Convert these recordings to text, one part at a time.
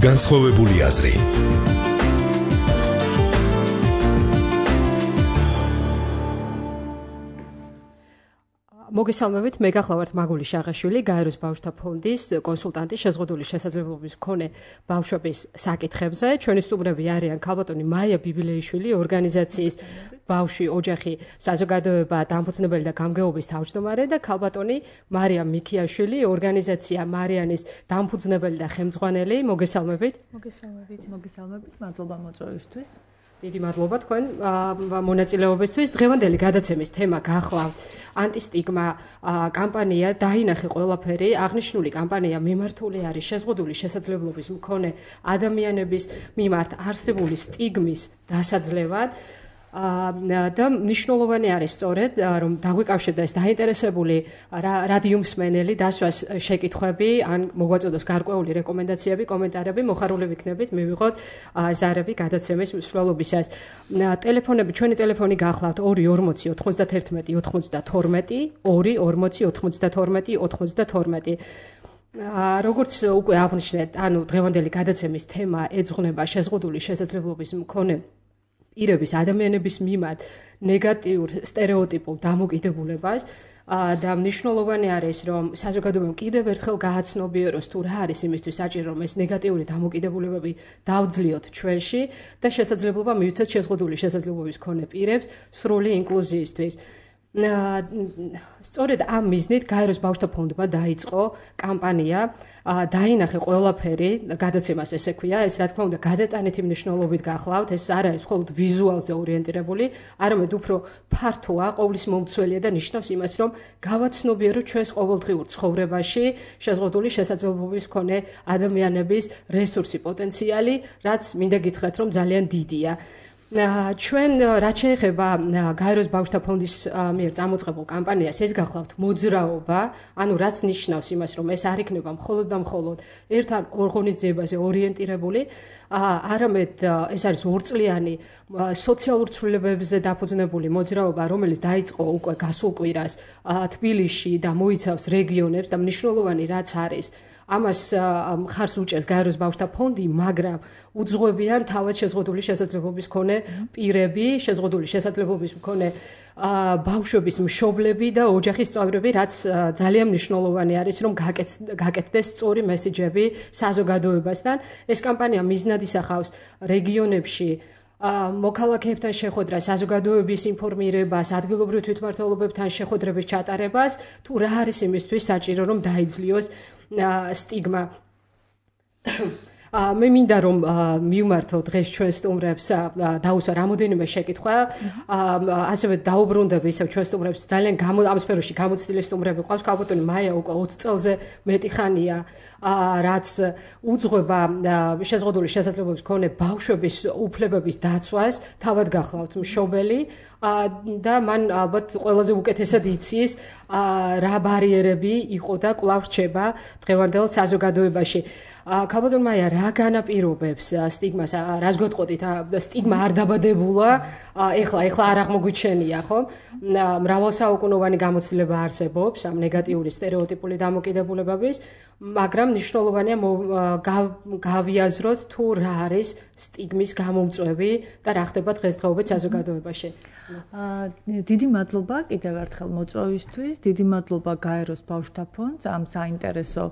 განსხვავებული აზრი. მოგესალმებით, მე გახლავართ მაგული შაღაშვილი, გაეროს ბავშვთა ფონდის კონსულტანტი შეზღუდული შესაძლებლობის მქონე ბავშვების საკითხებზე. ჩვენი სტუმრები არიან ქალბატონი მაია ბიბილეიშვილი, ორგანიზაციის ბავშვი ოჯახი საზოგადოება დამფუძნებელი და გამგეობის თავმჯდომარე და ქალბატონი მარიამ მიქიაშვილი, ორგანიზაცია მარიანის დამფუძნებელი და ხელმძღვანელი. მოგესალმებით. მოგესალმებით, მადლობა მოწვევისთვის. დიდი მადლობა თქვენ მონაწილეობისთვის. დღევანდელი გადაცემის თემა გახლავთ ანტისტიგმა კამპანია დაინახე ყველაფერი. აღნიშნული კამპანია მიმართული არის შეზღუდული შესაძლებლობის მქონე ადამიანების მიმართ არსებული სტიგმის დასაძლევად. და მნიშვნელოვანი არის სწორედ რომ დაგვიკავშირდა ეს დაინტერესებული რადიო მსმენელი დასვას შეკითხვები ან მოგვაწოდოს გარკვეული რეკომენდაციები, კომენტარები, მოხარული ვიქნებით მივიღოთ ზარები გადაცემის მსვლელობისას. ტელეფონები, ჩვენი ტელეფონი გახლავთ 240 91 92 240 92 92. როგორც უკვე აღნიშნეთ, ანუ დღევანდელი გადაცემის თემა ეძღვნება შეზღუდული შესაძლებლობის მქონე პირების ადამიანების მიმართ ნეგატიურ სტერეოტიპულ დამოკიდებულებას და მნიშვნელოვანი არის რომ საზოგადოებამ კიდევ ერთხელ გააცნობიეროს თუ რა არის იმისთვის საჭირო რომ ეს ნეგატიური დამოკიდებულებები დავძლიოთ ჩვენში და შესაძლებლობა მივიცეთ შეზღუდული შესაძლებლობის მქონე პირებს სრული ინკლუზიისთვის. სწორედ ამ მიზნით გაეროს ბავშვთა ფონდმა დაიწყო კამპანია დაინახე ყველაფერი, გადაცემას ესე ქვია, ეს რა თქმა უნდა გადატანითი მნიშვნელობით გახლავთ, ეს არ არის მხოლოდ ვიზუალზე ორიენტირებული, არამედ უფრო ფართოა, ყოვლის მომცველია და ნიშნავს იმას, რომ გავაცნობიეროთ ჩვენს ყოველდღიურ ცხოვრებაში შეზღუდული შესაძლებლობის მქონე ადამიანების რესურსი, პოტენციალი, რაც მინდა გითხრათ, რომ ძალიან დიდია. ჩვენ რაც შეეხება გაეროს ბავშვთა ფონდის მიერ წამოწყებულ კამპანიას, ეს გახლავთ მოძრაობა, ანუ რაც ნიშნავს იმას, რომ ეს არ იქნება მხოლოდ და მხოლოდ ერთ ან ორ ღონისძიებაზე ორიენტირებული, არამედ ეს არის ორწლიანი სოციალურ ცვლილებებზე დაფუძნებული მოძრაობა, რომელიც დაიწყო უკვე გასულ კვირას თბილისში და მოიცავს რეგიონებს და მნიშვნელოვანი რაც არის ამას მხარს უჭერს გაეროს ბავშვთა ფონდი, მაგრამ უძღვებიან თავად შეზღუდული შესაძლებლობის მქონე პირები, შეზღუდული შესაძლებლობის მქონე ბავშვების მშობლები და ოჯახის წევრები, რაც ძალიან მნიშვნელოვანი არის, რომ გაკეთდეს სწორი მესიჯები საზოგადოებასთან. ეს კამპანია მიზნად ისახავს რეგიონებში მოქალაქეებთან შეხვედრას, საზოგადოების ინფორმირებას, ადგილობრივ თვითმმართველობებთან შეხვედრების ჩატარებას, თუ რა არის იმისთვის საჭირო, რომ დაიძლიოს სტიგმა. მე მინდა რომ მივმართო დღეს ჩვენ სტუმრებს დაუსვა რამოდენიმე შეკითხვა, ასევე დაუბრუნდები ისევ ჩვენ სტუმრებს ძალიან ამ სფეროში გამოცდილი სტუმრები ყავს. ქალბატონი მაია უკვე 20 წელზე მეტი ხანია რაც უძღვება შეზღუდული შესაძლებლობის მქონე ბავშვების უფლებების დაცვას, თავად გახლავთ მშობელი და მან ალბათ ყველაზე უკეთესად იცის რა ბარიერები იყო და კვლავ რჩება დღევანდელ საზოგადოებაში. ქალბატონ მაია, რა განაპირობებს სტიგმას, რას გვეტყოდით, სტიგმა არ დაბადებულა, ეხლა არ აღმოგვიჩენია, ხო? მრავალსაუკუნოვანი გამოცდილება არსებობს ამ ნეგატიური სტერეოტიპული დამოკიდებულებების, მაგრამ მნიშვნელოვანია გავიაზროთ თუ რა არის სტიგმის გამომწვევი და რა ხდება დღესდღეობით საზოგადოებაში. დიდი მადლობა კიდევ ერთხელ მოწვევისთვის, დიდი მადლობა გაეროს ბავშვთა ფონდს ამ საინტერესო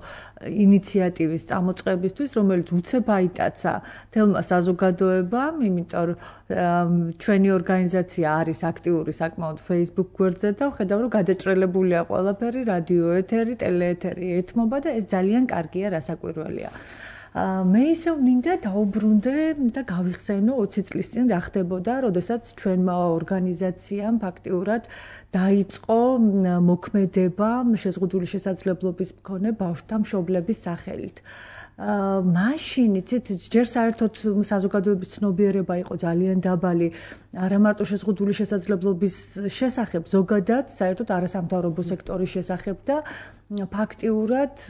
ინიციატივის წამოწყებისთვის, რომელიც უცებ აიტაცა თელმა საზოგადოებამ, იმიტომ რომ ჩვენი ორგანიზაცია არის აქტიური საკმაოდ Facebook გვერდზე და ვხედავ რომ გადაჭრელებულია ყველაფერი, რადიო ეთერი, ტელეეთერი ეთმობა და ეს ძალიან კარგია, რასაკვირველია. მე ისევ მინდა დაუბრუნდე და გავიხსენო 20 წლის წინ რა ხდებოდა, როდესაც ჩვენმა ორგანიზაციამ ფაქტიურად დაიწყო მოქმედება შეზღუდული შესაძლებლობის მქონე ბავშვთა მშობლების სახელით. მაშინ იცით ჯერ საერთოდ საზოგადოების ცნობიერება იყო ძალიან დაბალი არა მარტო შეზღუდული შესაძლებლობის შესახებ, ზოგადად საერთოდ არასამთავრობო სექტორის შესახებ და ფაქტიურად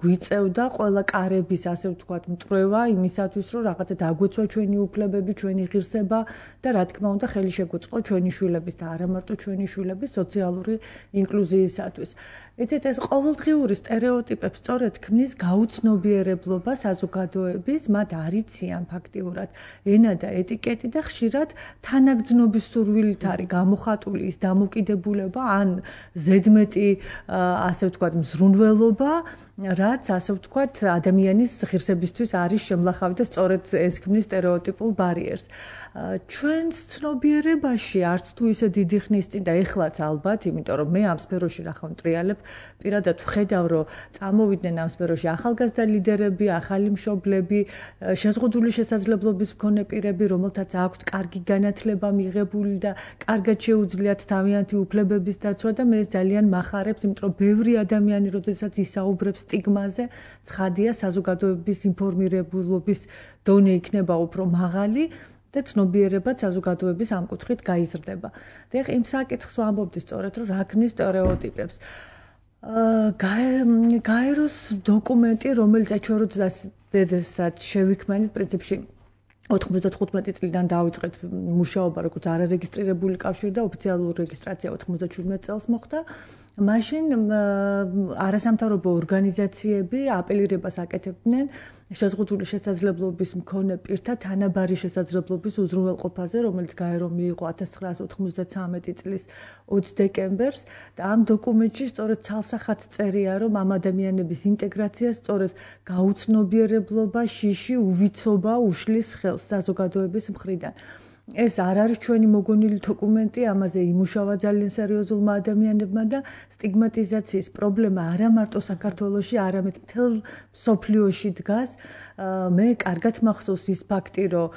გვიწევდა ყველა კარების, ასე ვთქვათ, მტრევა იმისათვის, რომ რაღაცა დაგვეცვა ჩვენი უფლებები, ჩვენი ღირსება და რა თქმა უნდა ხელი შეგვეწყო ჩვენი შვილების და არა მარტო ჩვენი შვილების სოციალური ინკლუზიისათვის. იცით ეს ყოველდღიური სტერეოტიპებს სწორედ ქმნის გაუცნობიერებლად მიღებულობა საზოგადოების, მათ არ იციან ფაქტიურად ენა და ეტიკეტი და ხშირად თანაგრძნობის სურვილით არის გამოხატული ის დამოკიდებულება ან ზედმეტი ასე ვთქვათ მზრუნველობა, რაც ასე ვთქვათ ადამიანის ღირსებისთვის არის შემლახავი და სწორედ ეს ქმნის სტერეოტიპულ ბარიერს. ჩვენს ცნობიერებაში არც თუ ისე დიდი ხნის წინ და ეხლაც ალბათ, იმიტომ რომ მე ამ სფეროში რახან ვტრიალებ, პირადად ვხედავ, რომ წამოვიდნენ ამ სფეროში ახალგაზრდა ლიდერები, ახალი მშობლები, შეზღუდული შესაძლებლობის მქონე პირები, რომელთაც აქვთ კარგი განათლება მიღებული და კარგად შეუძლიათ თავიანთი უფლებების დაცვა და მე ეს ძალიან მახარებს, იმიტომ რომ ბევრი ადამიანი, როდესაც ისაუბრებს სტიგმაზე, ცხადია საზოგადოების ინფორმირებულობის დონე იქნება უფრო მაღალი და ცნობიერებაც საზოგადოების ამ კუთხით გაიზრდება. და იმ საკითხს ვამბობდი სწორედ, რომ რა ქმნის სტერეოტიპებს. გაეროს დოკუმენტი, რომელიც ჩვენ როდესაც შევიქმნით, პრინციპში 95 წლიდან დავიწყეთ მუშაობა, როგორც არარეგისტრირებული კავშირი და ოფიციალური რეგისტრაცია 97 წელს მოხდა. მაშინ არასამთავრობო ორგანიზაციები აპელირებას აკეთებდნენ შეზღუდული შესაძლებლობის მქონე პირთა თანაბარი შესაძლებლობის უზრუნველყოფაზე, რომელიც გაერომ მიიღო 1993 წლის 20 დეკემბერს და ამ დოკუმენტში სწორედ ცალსახად წერია, რომ ამ ადამიანების ინტეგრაციას სწორედ გაუცნობიერებლობა, შიში, უვიცობა უშლის ხელს საზოგადოების მხრიდან. ეს არ არის ჩვენი მოგონილი დოკუმენტი, ამაზე იმუშავა ძალიან სერიოზულმა ადამიანებმა და სტიგმატიზაციის პრობლემა არა მარტო საქართველოში, არამედ მთელ მსოფლიოში დგას. მე კარგად მახსოვს ის ფაქტი, რომ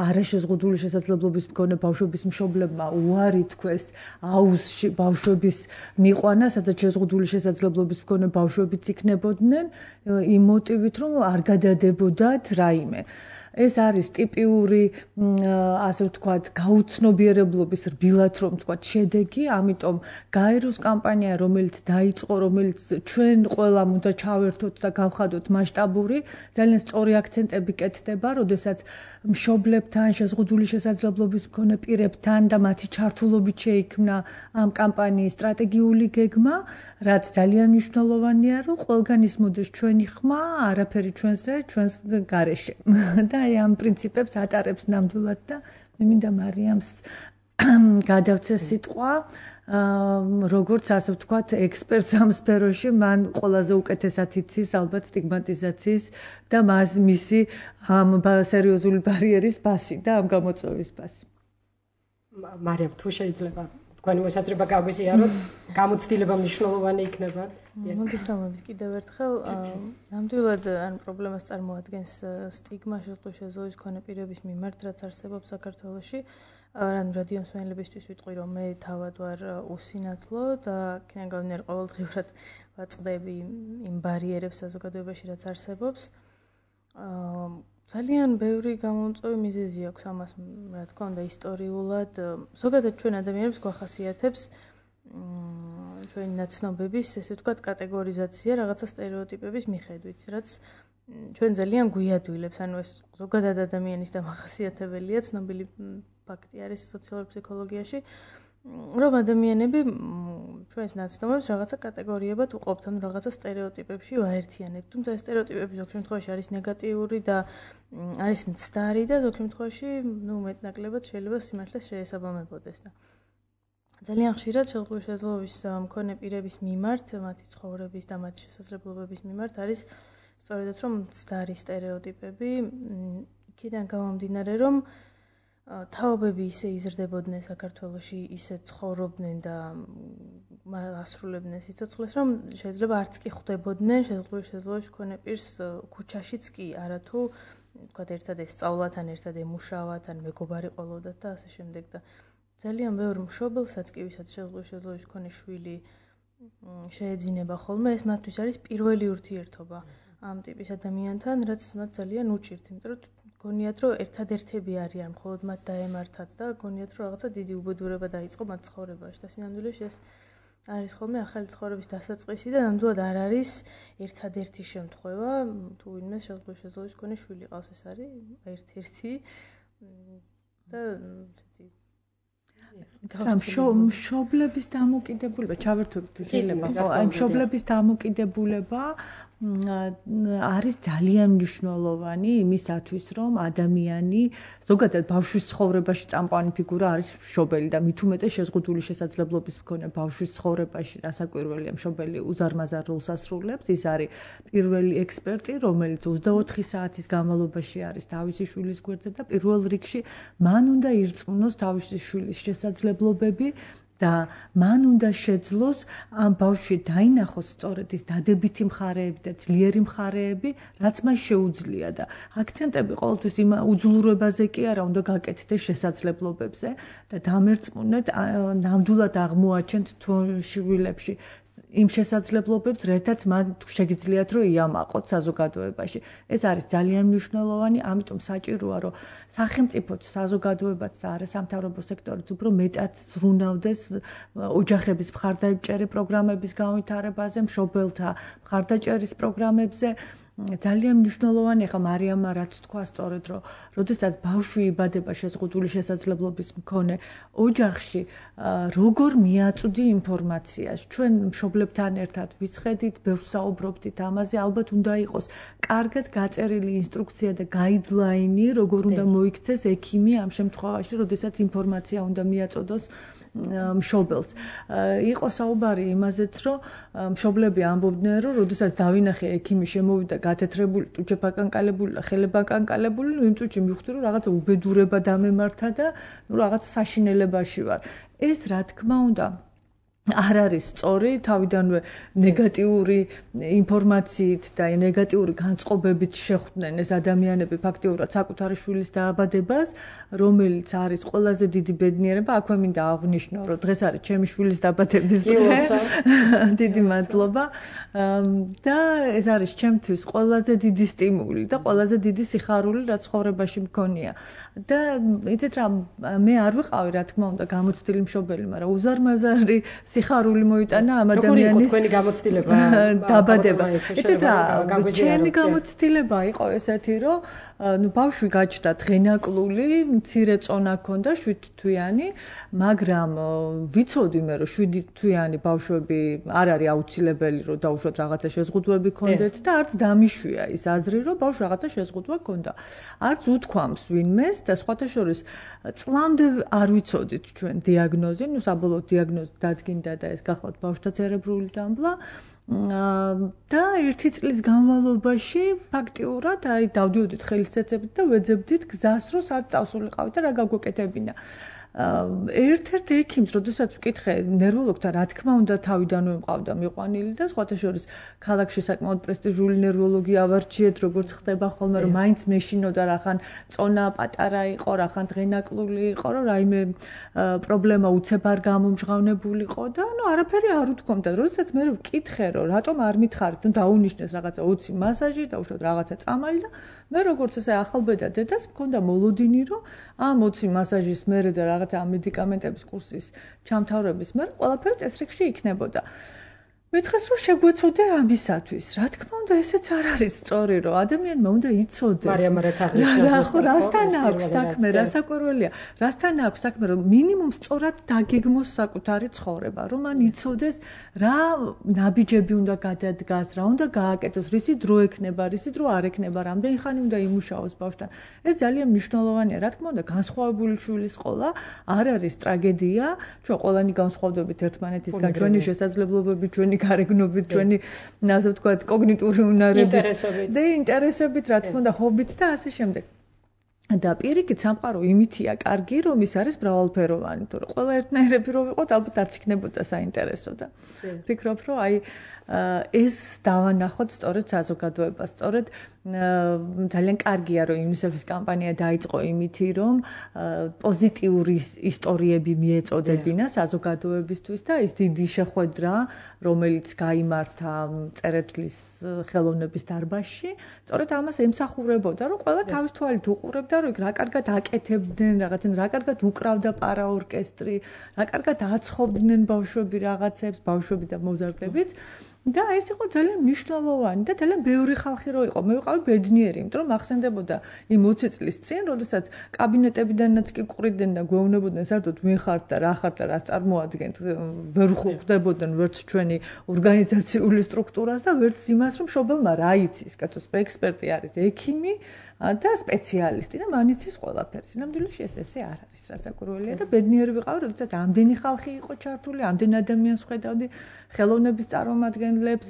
არაშეზღუდული შესაძლებლობის მქონე ბავშვების მშობლებმა უარი თქვეს აუზში ბავშვების მიყვანა, სადაც შეზღუდული შესაძლებლობის მქონე ბავშვებიც იქნებოდნენ, იმ მოტივით, რომ არ გადადებოდათ რაიმე. ეს არის ტიპიური, ასე ვთქვათ, გაუცნობიერებლობის რბილად რომ ვთქვათ, შედეგი, ამიტომ გაეროს კამპანია, რომელიც დაიწყო, რომელიც ჩვენ ყველამ უნდა ჩავერთოთ და გავხადოთ მასშტაბური, ძალიან სწორი აქცენტები კეთდება, როდესაც მშობლებთან, შეზღუდული შესაძლებლობის მქონე პირებთან და მათი ჩართულობით შეიქმნა ამ კამპანიის სტრატეგიული გეგმა, რაც ძალიან მნიშვნელოვანია, რომ ყველგან ისმოდეს ჩვენი ხმა, არაფერი ჩვენზე, ჩვენს გარეშე. და აი ამ პრინციპებს ატარებს ნამდვილად და მე მინდა მარიამს გადავცე სიტყვა, როგორც ასე ვთქვათ, ექსპერტს ამ სფეროში, მან ყველაზე უკეთესად იცის ალბათ სტიგმატიზაციის და მისი ამ სერიოზული ბარიერის ფასი და ამ გამოწვევის ფასი. მარიამ, თუ შეიძლება თქვენი მოსაზრება გავიზიაროთ, გამოცდილება მნიშვნელოვანი იქნება. მოგესალმებით კიდევ ერთხელ. ნამდვილად ან პრობლემას წარმოადგენს სტიგმა შეზღუდული შესაძლებლობის მქონე პირების მიმართ, რაც არსებობს საქართველოში. ან რადიო მსმენელებისთვის ვიტყვი, რომ მე თავად ვარ უსინათლო და იქიდან გამომდინარე ყოველდღიურად ვაწყდები იმ ბარიერებს საზოგადოებაში, რაც არსებობს. ძალიან ბევრი გამომწვევი მიზეზი აქვს ამას, რა თქმა უნდა, ისტორიულად. ზოგადად ჩვენ ადამიანებს გვახასიათებს ჩვენი ნაცნობების, ესე ვთქვათ, კატეგორიზაცია რაღაცა სტერეოტიპების მიხედვით, რაც ჩვენ ძალიან გვიადვილებს, ანუ ეს ზოგადად ადამიანის დამახასიათებელია, ცნობილი ფაქტი არის სოციალურ ფსიქოლოგიაში, რომ ადამიანები ჩვენს ნაცნობებს რაღაცა კატეგორიებად უყოფთ, ანუ რაღაცა სტერეოტიპებში ვაერთიანებთ. თუმცა ეს სტერეოტიპები ზოგ შემთხვევაში არის ნეგატიური და არის მცდარი და ზოგ შემთხვევაში, მეტნაკლებად შეიძლება სიმართლეს შეესაბამებოდეს და ძალიან ხშირად შეზღუდული შესაძლებლობის მქონე პირების მიმართ, მათი ცხოვრების და მათი შესაძლებლობების მიმართ არის სწორედაც რომ მცდარი სტერეოტიპები, იქიდან გამომდინარე, რომ თაობები ისე იზრდებოდნენ საქართველოში, ისე ცხოვრობდნენ და ასრულებდნენ სიცოცხლეს, რომ შეიძლება არც კი ხვდებოდნენ შეზღუდული შესაძლებლობის მქონე პირს ქუჩაშიც კი, არათუ ვთქვათ, ერთად ესწავლათ, ან ერთად ემუშავათ, ან მეგობარი ყოლოდათ და ასე შემდეგ და ძალიან ბევრ მშობელსაც კი, ვისაც შეზღუდული შესაძლებლობის მქონე შვილი შეეძინება ხოლმე, ეს მათთვის არის პირველი ურთიერთობა ამ ტიპის ადამიანთან, რაც მათ ძალიან უჭირთ, იმიტომ რომ გონიათ, რომ ერთადერთები არიან, მხოლოდ მათ დაემართათ და გონიათ, რომ რაღაცა დიდი უბედურება დაიწყო მათ ცხოვრებაში და სინამდვილეში ეს არის ხოლმე ახალი ცხოვრების დასაწყისი და ნამდვილად არ არის ერთადერთი შემთხვევა, თუ ვინმე შეზღუდული შესაძლებლობის მქონე შვილი ყავს, ეს არის ერთ-ერთი და მშობლების დამოკიდებულება, ჩავერთვებით თუ შეიძლება, ხო, აი მშობლების დამოკიდებულება არის ძალიან მნიშვნელოვანი იმისათვის, რომ ადამიანი ზოგადად ბავშვის ცხოვრებაში წამყვანი ფიგურა არის მშობელი და მით უმეტეს შეზღუდული შესაძლებლობის მქონე ბავშვის ცხოვრებაში რასაკვირველია მშობელი უზარმაზარ როლს ასრულებს. ის არის პირველი ექსპერტი, რომელიც 24 საათის განმავლობაში არის თავისი შვილის გვერდზე და პირველ რიგში მან უნდა ირწმუნოს თავისი შვილის შესაძლებლობები და მან უნდა შეძლოს ამ ბავშვი დაინახოს სწორედ ის დადებითი მხარეები და ძლიერი მხარეები, რაც მას შეუძლია და აქცენტები ყოველთვის იმ უძლურებაზე კი არა უნდა გაკეთდეს შესაძლებლობებზე და დამერწმუნეთ ნამდვილად აღმოაჩენთ შვილებში იმ შესაძლებლობებს, რითაც მათ შეგიძლიათ რომ იამაყოთ საზოგადოებაში. ეს არის ძალიან მნიშვნელოვანი, ამიტომ საჭიროა რომ სახელმწიფოც, საზოგადოებაც და არასამთავრობო სექტორიც უფრო მეტად ზრუნავდეს ოჯახების მხარდაჭერი პროგრამების განვითარებაზე, მშობელთა მხარდაჭერის პროგრამებზე. ძალიან მნიშვნელოვანია ხა მარიამმა რაც თქვა სწორედ რომ როდესაც ბავშვი იბადება შეზღუდული შესაძლებლობის მქონე ოჯახში როგორ მიაწვდი ინფორმაციას ჩვენ მშობლებთან ერთად ვისხედით ბევრს საუბრობდით ამაზე ალბათ უნდა იყოს კარგად გაწერილი ინსტრუქცია და გაიდლაინი როგორ უნდა მოიქცეს ექიმი ამ შემთხვევაში როდესაც ინფორმაცია უნდა მიაწოდოს მშობელს. იყო საუბარი იმაზეც, რომ მშობლები ამბობდნენ, რომ როდესაც დავინახე ექიმი შემოვიდა გათეთრებული, ტუჩებაკანკალებული და ხელებაკანკალებული, იმ წუთში მივხვდი, რომ რაღაცა უბედურება დამემართა და რაღაც საშინელებაში ვარ. ეს რა თქმა უნდა არ არის სწორი, თავიდანვე ნეგატიური ინფორმაციით და ნეგატიური განწყობებით შეხვდნენ ეს ადამიანები ფაქტიურად საკუთარი შვილის დააბადებას, რომელიც არის ყველაზე დიდი ბედნიერება. აქვე მინდა აღვნიშნო, რომ დღეს არის ჩემი შვილის დაბადების დღე. დიდი მადლობა. და ეს არის ჩემთვის ყველაზე დიდი სტიმული და ყველაზე დიდი სიხარული, რაც ცხოვრებაში მქონია. და იცით რა, მე არ ვიყავი, რა თქმა უნდა, გამოცდილი მშობელი, მაგრამ უზარმაზარი სიხარული მოიტანა ამ ადამიანის თქვენი გამოცდილება დაბადება. იცით რა, ჩემი გამოცდილება იყო ესეთი, რომ ბავშვი გაჩნდა დღენაკლული, მცირე წონა ჰქონდა 7 თვიანი, მაგრამ ვიცოდი მე რომ 7 თვიანი ბავშვები არ არის აუცილებელი რომ დაუშვათ რაღაცა შეზღუდვები ჰქონდეთ და არც დამიშვია ის აზრი რომ ბავშვს რაღაცა შეზღუდვა ჰქონდა. არც უთქვამს ვინმეს და სხვათა შორის წლამდე არ ვიცოდით ჩვენ დიაგნოზი, ნუ საბოლოო დიაგნოზი დადგინდა და ეს გახლავთ ბავშვთა ცერებრული დამბლა და 1 წლის განმავლობაში ფაქტიურად აი დავდიოდით ხელისეცებით და ვეძებდით გზას რომ სად წავსულიყავით და რა გაგვეკეთებინა. ერთ-ერთ ექიმს, როდესაც ვკითხე ნერვოლოგთან, რა თქმა უნდა, თავიდანვე მყავდა მიყვანილი და სხვათა შორის ქალაქში საკმაოდ პრესტიჟული ნერვოლოგი ავარჩიეთ, როგორც ხდება ხოლმე, რომ მაინც მეშინოდა რახან წონა პატარა იყო, რახან დღენაკლული იყო, რომ რაიმე პრობლემა უცებ არ გამომჟღავნებულიყო და ნუ არაფერი არ უთქვამდა. როდესაც მე ვკითხე, რომ რატომ არ მითხარით, ნუ დაუნიშნეს რაღაცა 20 მასაჟი, დაუშვათ რაღაცა წამალი და მე როგორც ესე ახალბედა დედას მქონდა მოლოდინი, რომ ამ 20 მასაჟის მერე და რაღაც ამ მედიკამენტების კურსის ჩამთავრების მერე ყველაფერი წესრიგში იქნებოდა. მითხრეს რომ შეგვეცოდე ამისათვის. რა თქმა უნდა, ესეც არ არის სწორი, რომ ადამიანმა უნდა იცოდეს. მარიამ რა თაღნიშნავს, რასთან აქვს საქმე, რასაკვირველია. რასთან აქვს საქმე, რომ მინიმუმ სწორად დაგეგმოს საკუთარი ცხოვრება, რომ მან იცოდეს რა ნაბიჯები უნდა გადადგას, რა უნდა გააკეთოს, რისი დრო ექნება, რისი დრო არ ექნება, რამდენი ხანი უნდა იმუშაოს ბავშვთან. ეს ძალიან მნიშვნელოვანია. რა თქმა უნდა, განსხვავებული შვილის ყოლა არ არის ტრაგედია. ჩვენ ყველანი განსხვავდებით ერთმანეთისგან, ჩვენი შესაძლებლობები, ჩვენი გარეგნობით, ჩვენი, ასე ვთქვათ, კოგნიტური უნარებით და ინტერესებით, რა თქმა უნდა, ჰობით და ასე შემდეგ. და პირიქით სამყარო იმითია კარგი, რომ ის არის მრავალფეროვანი, თორე ყველა ერთნაირები რო ვიყოთ, ალბათ არც იქნებოდა საინტერესო და ვფიქრობ, რომ აი ეს დავანახოთ სწორედ საზოგადოებას, სწორედ ძალიან კარგია, რომ UNICEF-ის კამპანია დაიწყო იმითი, რომ პოზიტიური ისტორიები მიეწოდებინა საზოგადოებისთვის და ის დიდი შეხვედრა, რომელიც გაიმართა წერეთლის ხელოვნების დარბაზში, სწორედ ამას ემსახურებოდა, რომ ყველა თავის თვალით უყურებდა ხედავდა რომ რა კარგად აკეთებდნენ რაღაცენ რა კარგად უკრავდა პარაორკესტრი რა კარგად აცხობდნენ ბავშვები რაღაცებს ბავშვები და მოზარდებიც და ეს იყო ძალიან მნიშვნელოვანი და ძალიან ბევრი ხალხი რო იყო. მე ვიყავი ბედნიერი, იმიტომ რომ ახსენდებოდა იმ 20 წლის წინ, როდესაც კაბინეტებიდანაც კი ყრიდნენ და გვეუბნებოდნენ საერთოდ ვინ ხართ და რა ხართ და რას წარმოადგენთ. ვერ ხვდებოდნენ ვერც ჩვენი ორგანიზაციული სტრუქტურას და ვერც იმას, რომ მშობელმა რა იცის, კაცოს ექსპერტი არის ექიმი და სპეციალისტი და მან იცის ყველაფერი. სინამდვილეში ესე არ არის რასაკვირველია და ბედნიერი ვიყავი, როდესაც ამდენი ხალხი იყო ჩართული, ამდენ ადამიანს ხედავდი, ხელოვნების წარმომადგენლებს,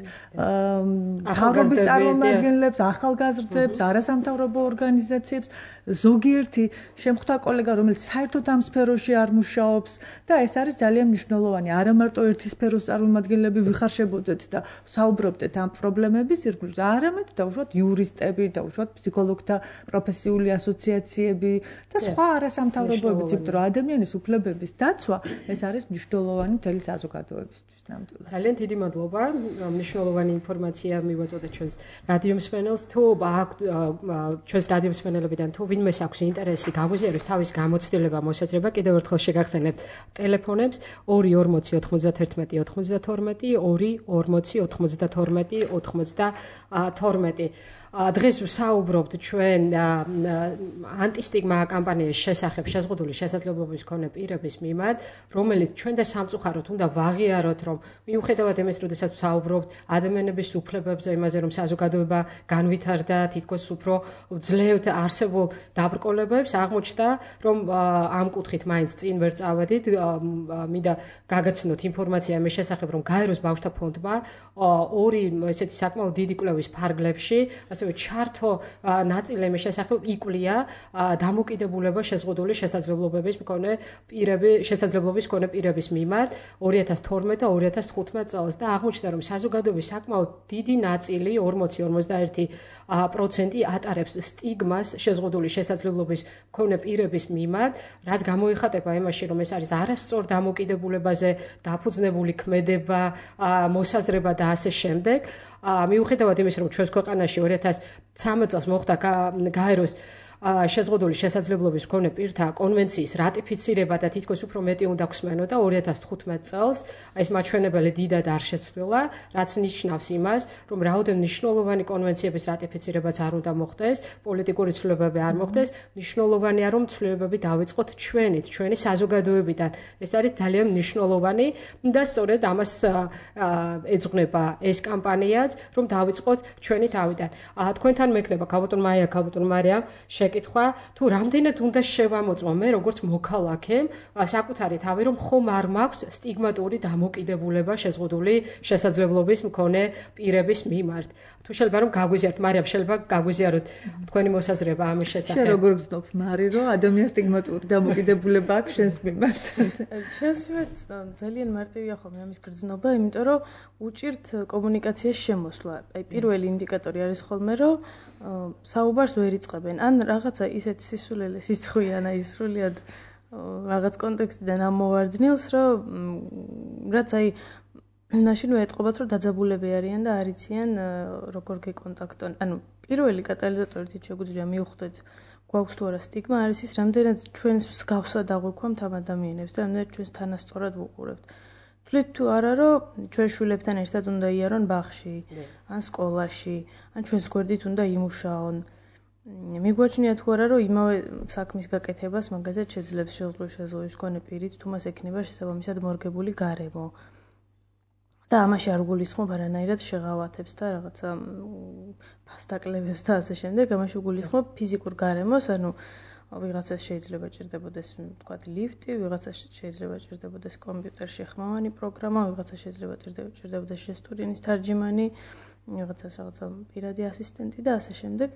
მთავრობის წარმომადგენლებს, ახალგაზრდებს, არასამთავრობო ორგანიზაციებს, ზოგიერთი შემხვდა კოლეგა, რომელიც საერთოდ ამ სფეროში არ მუშაობს და ეს არის ძალიან მნიშვნელოვანი. არა მარტო ერთი სფეროს წარმომადგენლები ვიხარშებოდეთ და საუბრობდეთ ამ პრობლემების ირგვლივ, არამედ დაუშვათ იურისტები, დაუშვათ ფსიქოლოგთა პროფესიული ასოციაციები და სხვა არასამთავრობოებიც, იმიტომ რომ ადამიანის უფლებების დაცვა ეს არის მნიშვნელოვანი მთელი საზოგადოებისთვის ნამდვილად. ძალიან დიდი მადლობა. მნიშვნელოვანი ინფორმაცია მივაწოდეთ ჩვენს რადიო მსმენელს. თუ ჩვენს რადიო მსმენელებიდან თუ ვინმეს აქვს ინტერესი გაგვიზიაროს თავის გამოცდილება, მოსაზრება, კიდევ ერთხელ შეგახსენებთ ტელეფონებს 2409192 24092 დღეს ვსაუბრობთ ჩვენ ანტისტიგმა კამპანიის შესახებ შეზღუდული შესაძლებლობის მქონე პირების მიმართ, რომელიც ჩვენ და სამწუხაროდ უნდა ვაღიაროთ, რომ მიუხედავად იმის, როდესაც ვსაუბრობთ ადამიანების უფლებებზე, იმაზე, რომ საზოგადოება განვითარდა, თითქოს უფრო ძლევთ არსებულ დაბრკოლებებს, აღმოჩნდა, რომ ამ კუთხით მაინც წინ ვერ წავედით, მინდა გაგაცნოთ ინფორმაცია იმის შესახებ, რომ გაეროს ბავშვთა ფონდმა ორი ესეთი საკმაოდ დიდი კვლევის ფარგლებში, ასევე ჩართო ნაწილი იმის შესახებ იკვლია დამოკიდებულება შეზღუდული შესაძლებლობების მქონე პირების მიმართ 2012 და 2015 წელს და აღმოჩნდა, რომ საზოგადოების საკმაოდ დიდი ნაწილი 40-51% ატარებს სტიგმას შეზღუდული შესაძლებლობის მქონე პირების მიმართ, რაც გამოიხატება იმაში, რომ ეს არის არასწორ დამოკიდებულებაზე დაფუძნებული ქმედება, მოსაზრება და ასე შემდეგ. მიუხედავად იმისა, რომ ჩვენს ქვეყანაში 2013 წელს მოხდა გაეროს შეზღუდული შესაძლებლობის მქონე პირთა კონვენციის რატიფიცირება და თითქოს უფრო მეტი უნდა გვსმენოდა 2015 წელს, ეს მაჩვენებელი დიდად არ შეცვლილა, რაც ნიშნავს იმას, რომ რაოდენ მნიშვნელოვანი კონვენციების რატიფიცირებაც არ უნდა მოხდეს, პოლიტიკური ცვლილებები არ მოხდეს, მნიშვნელოვანია, რომ ცვლილებები დავიწყოთ ჩვენი საზოგადოებიდან. ეს არის ძალიან მნიშვნელოვანი და სწორედ ამას ეძღვნება ეს კამპანიაც, რომ დავიწყოთ ჩვენი თავიდან. თქვენთან მექნება ქალბატონ მაია, ქალბატონ მარიამ შეკითხვა, თუ რამდენად უნდა შევამოწმო მე როგორც მოქალაქემ საკუთარი თავი, რომ ხომ არ მაქვს სტიგმატური დამოკიდებულება შეზღუდული შესაძლებლობის მქონე პირების მიმართ. თუ შეიძლება რომ გაგვიზიაროთ, მარიამ, შეიძლება გაგვიზიაროთ თქვენი მოსაზრება ამის შესახებ. შენ როგორ გძნობ, მარი, რომ ადამიანს სტიგმატური დამოკიდებულება აქვს შენს მიმართ? შენს მიმართ ძალიან მარტივია ხოლმე ამის გრძნობა, იმიტომ რომ უჭირთ კომუნიკაციის შემოსვლა. აი პირველი ინდიკატორი არის ხოლმე, რომ საუბარს ვერ იწყებენ. ან რაღაცა ისეთ სისულელე სიცხვიან, აი სრულიად რაღაც კონტექსტიდან ამოვარდნილს, რომ რაც აი მაშინვე ეტყობათ, რომ დაძაბულები არიან და არ იციან როგორ გეკონტაქტონ. ანუ პირველი კატალიზატორი თვით შეგვიძლია მივხვდეთ, გვაქვს თუ არა სტიგმა, არის ის, რამდენად ჩვენს მსგავსად აღვიქვამთ ამ ადამიანებს და რამდენად ჩვენს თანასწორად ვუყურებთ. თვლით თუ არა, რომ ჩვენ შვილებთან ერთად უნდა იარონ ბაღში, ან სკოლაში, ან ჩვენს გვერდით უნდა იმუშაონ. მიგვაჩნია თუ არა, რომ იმავე საქმის გაკეთებას მაგალითად შეძლებს შეზღუდული მქონე პირიც, თუ მას ექნება შესაბამისად მორგებული გარემო. და ამაში არ გულისხმობ არანაირად შეღავათებს და რაღაცა ფასდაკლებებს და ასე შემდეგ, ამაში გულისხმობ ფიზიკურ გარემოს, ანუ ვიღაცას შეიძლება ჭირდებოდეს, ვთქვათ, ლიფტი, ვიღაცას შეიძლება ჭირდებოდეს კომპიუტერში ხმოვანი პროგრამა, ვიღაცას შეიძლება ჭირდებოდეს ჟესტურინის თარჯიმანი, ვიღაცას რაღაცა პირადი ასისტენტი და ასე შემდეგ.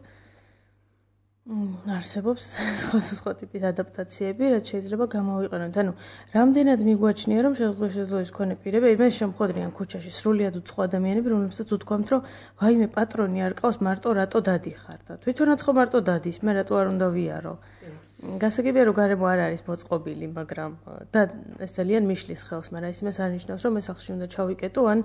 არსებობს სხვადასხვა ტიპის ადაპტაციები, რაც შეიძლება გამოვიყენოთ. ანუ რამდენად მიგვაჩნია, რომ შესაძლებლობის მქონე პირები, მე შემოხვედრიან ქუჩაში სრულიად უცხო ადამიანები, რომლებსაც უთქვამთ, რომ ვაიმე პატრონი არ ყავს, მარტო რატო დადიხარ და თვითონაც ხო მარტო დადის, მე რატო არ უნდა ვიარო. გასაგებია რომ გარემო არ არის მოწყობილი, მაგრამ და ეს ძალიან მიშლის ხელს, მაგრამ ის იმას არ ნიშნავს, რომ ეს სახლში უნდა ჩავიკეტო, ან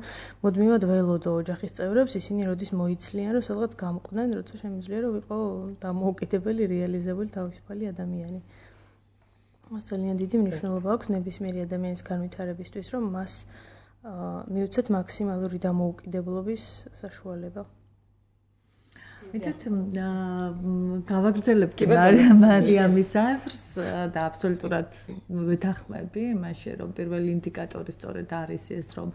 მუდმივად ველოდო ოჯახის წევრებს, ისინი როდის მოიცლიან, რომ სადღაც გამყვნენ, როცა შემიძლია რომ ვიყო დამოუკიდებელი, რეალიზებული თავისუფალი ადამიანი. მას ძალიან დიდი მნიშვნელობა აქვს ნებისმიერი ადამიანის განვითარებისთვის, რომ მას მიუცეთ მაქსიმალური დამოუკიდებლობის საშუალება. მეთქ გავაგრძელებთ მარიამის აზრს და აბსოლუტურად ვეთანხმები იმაში, რომ პირველი ინდიკატორი სწორედ არის ეს, რომ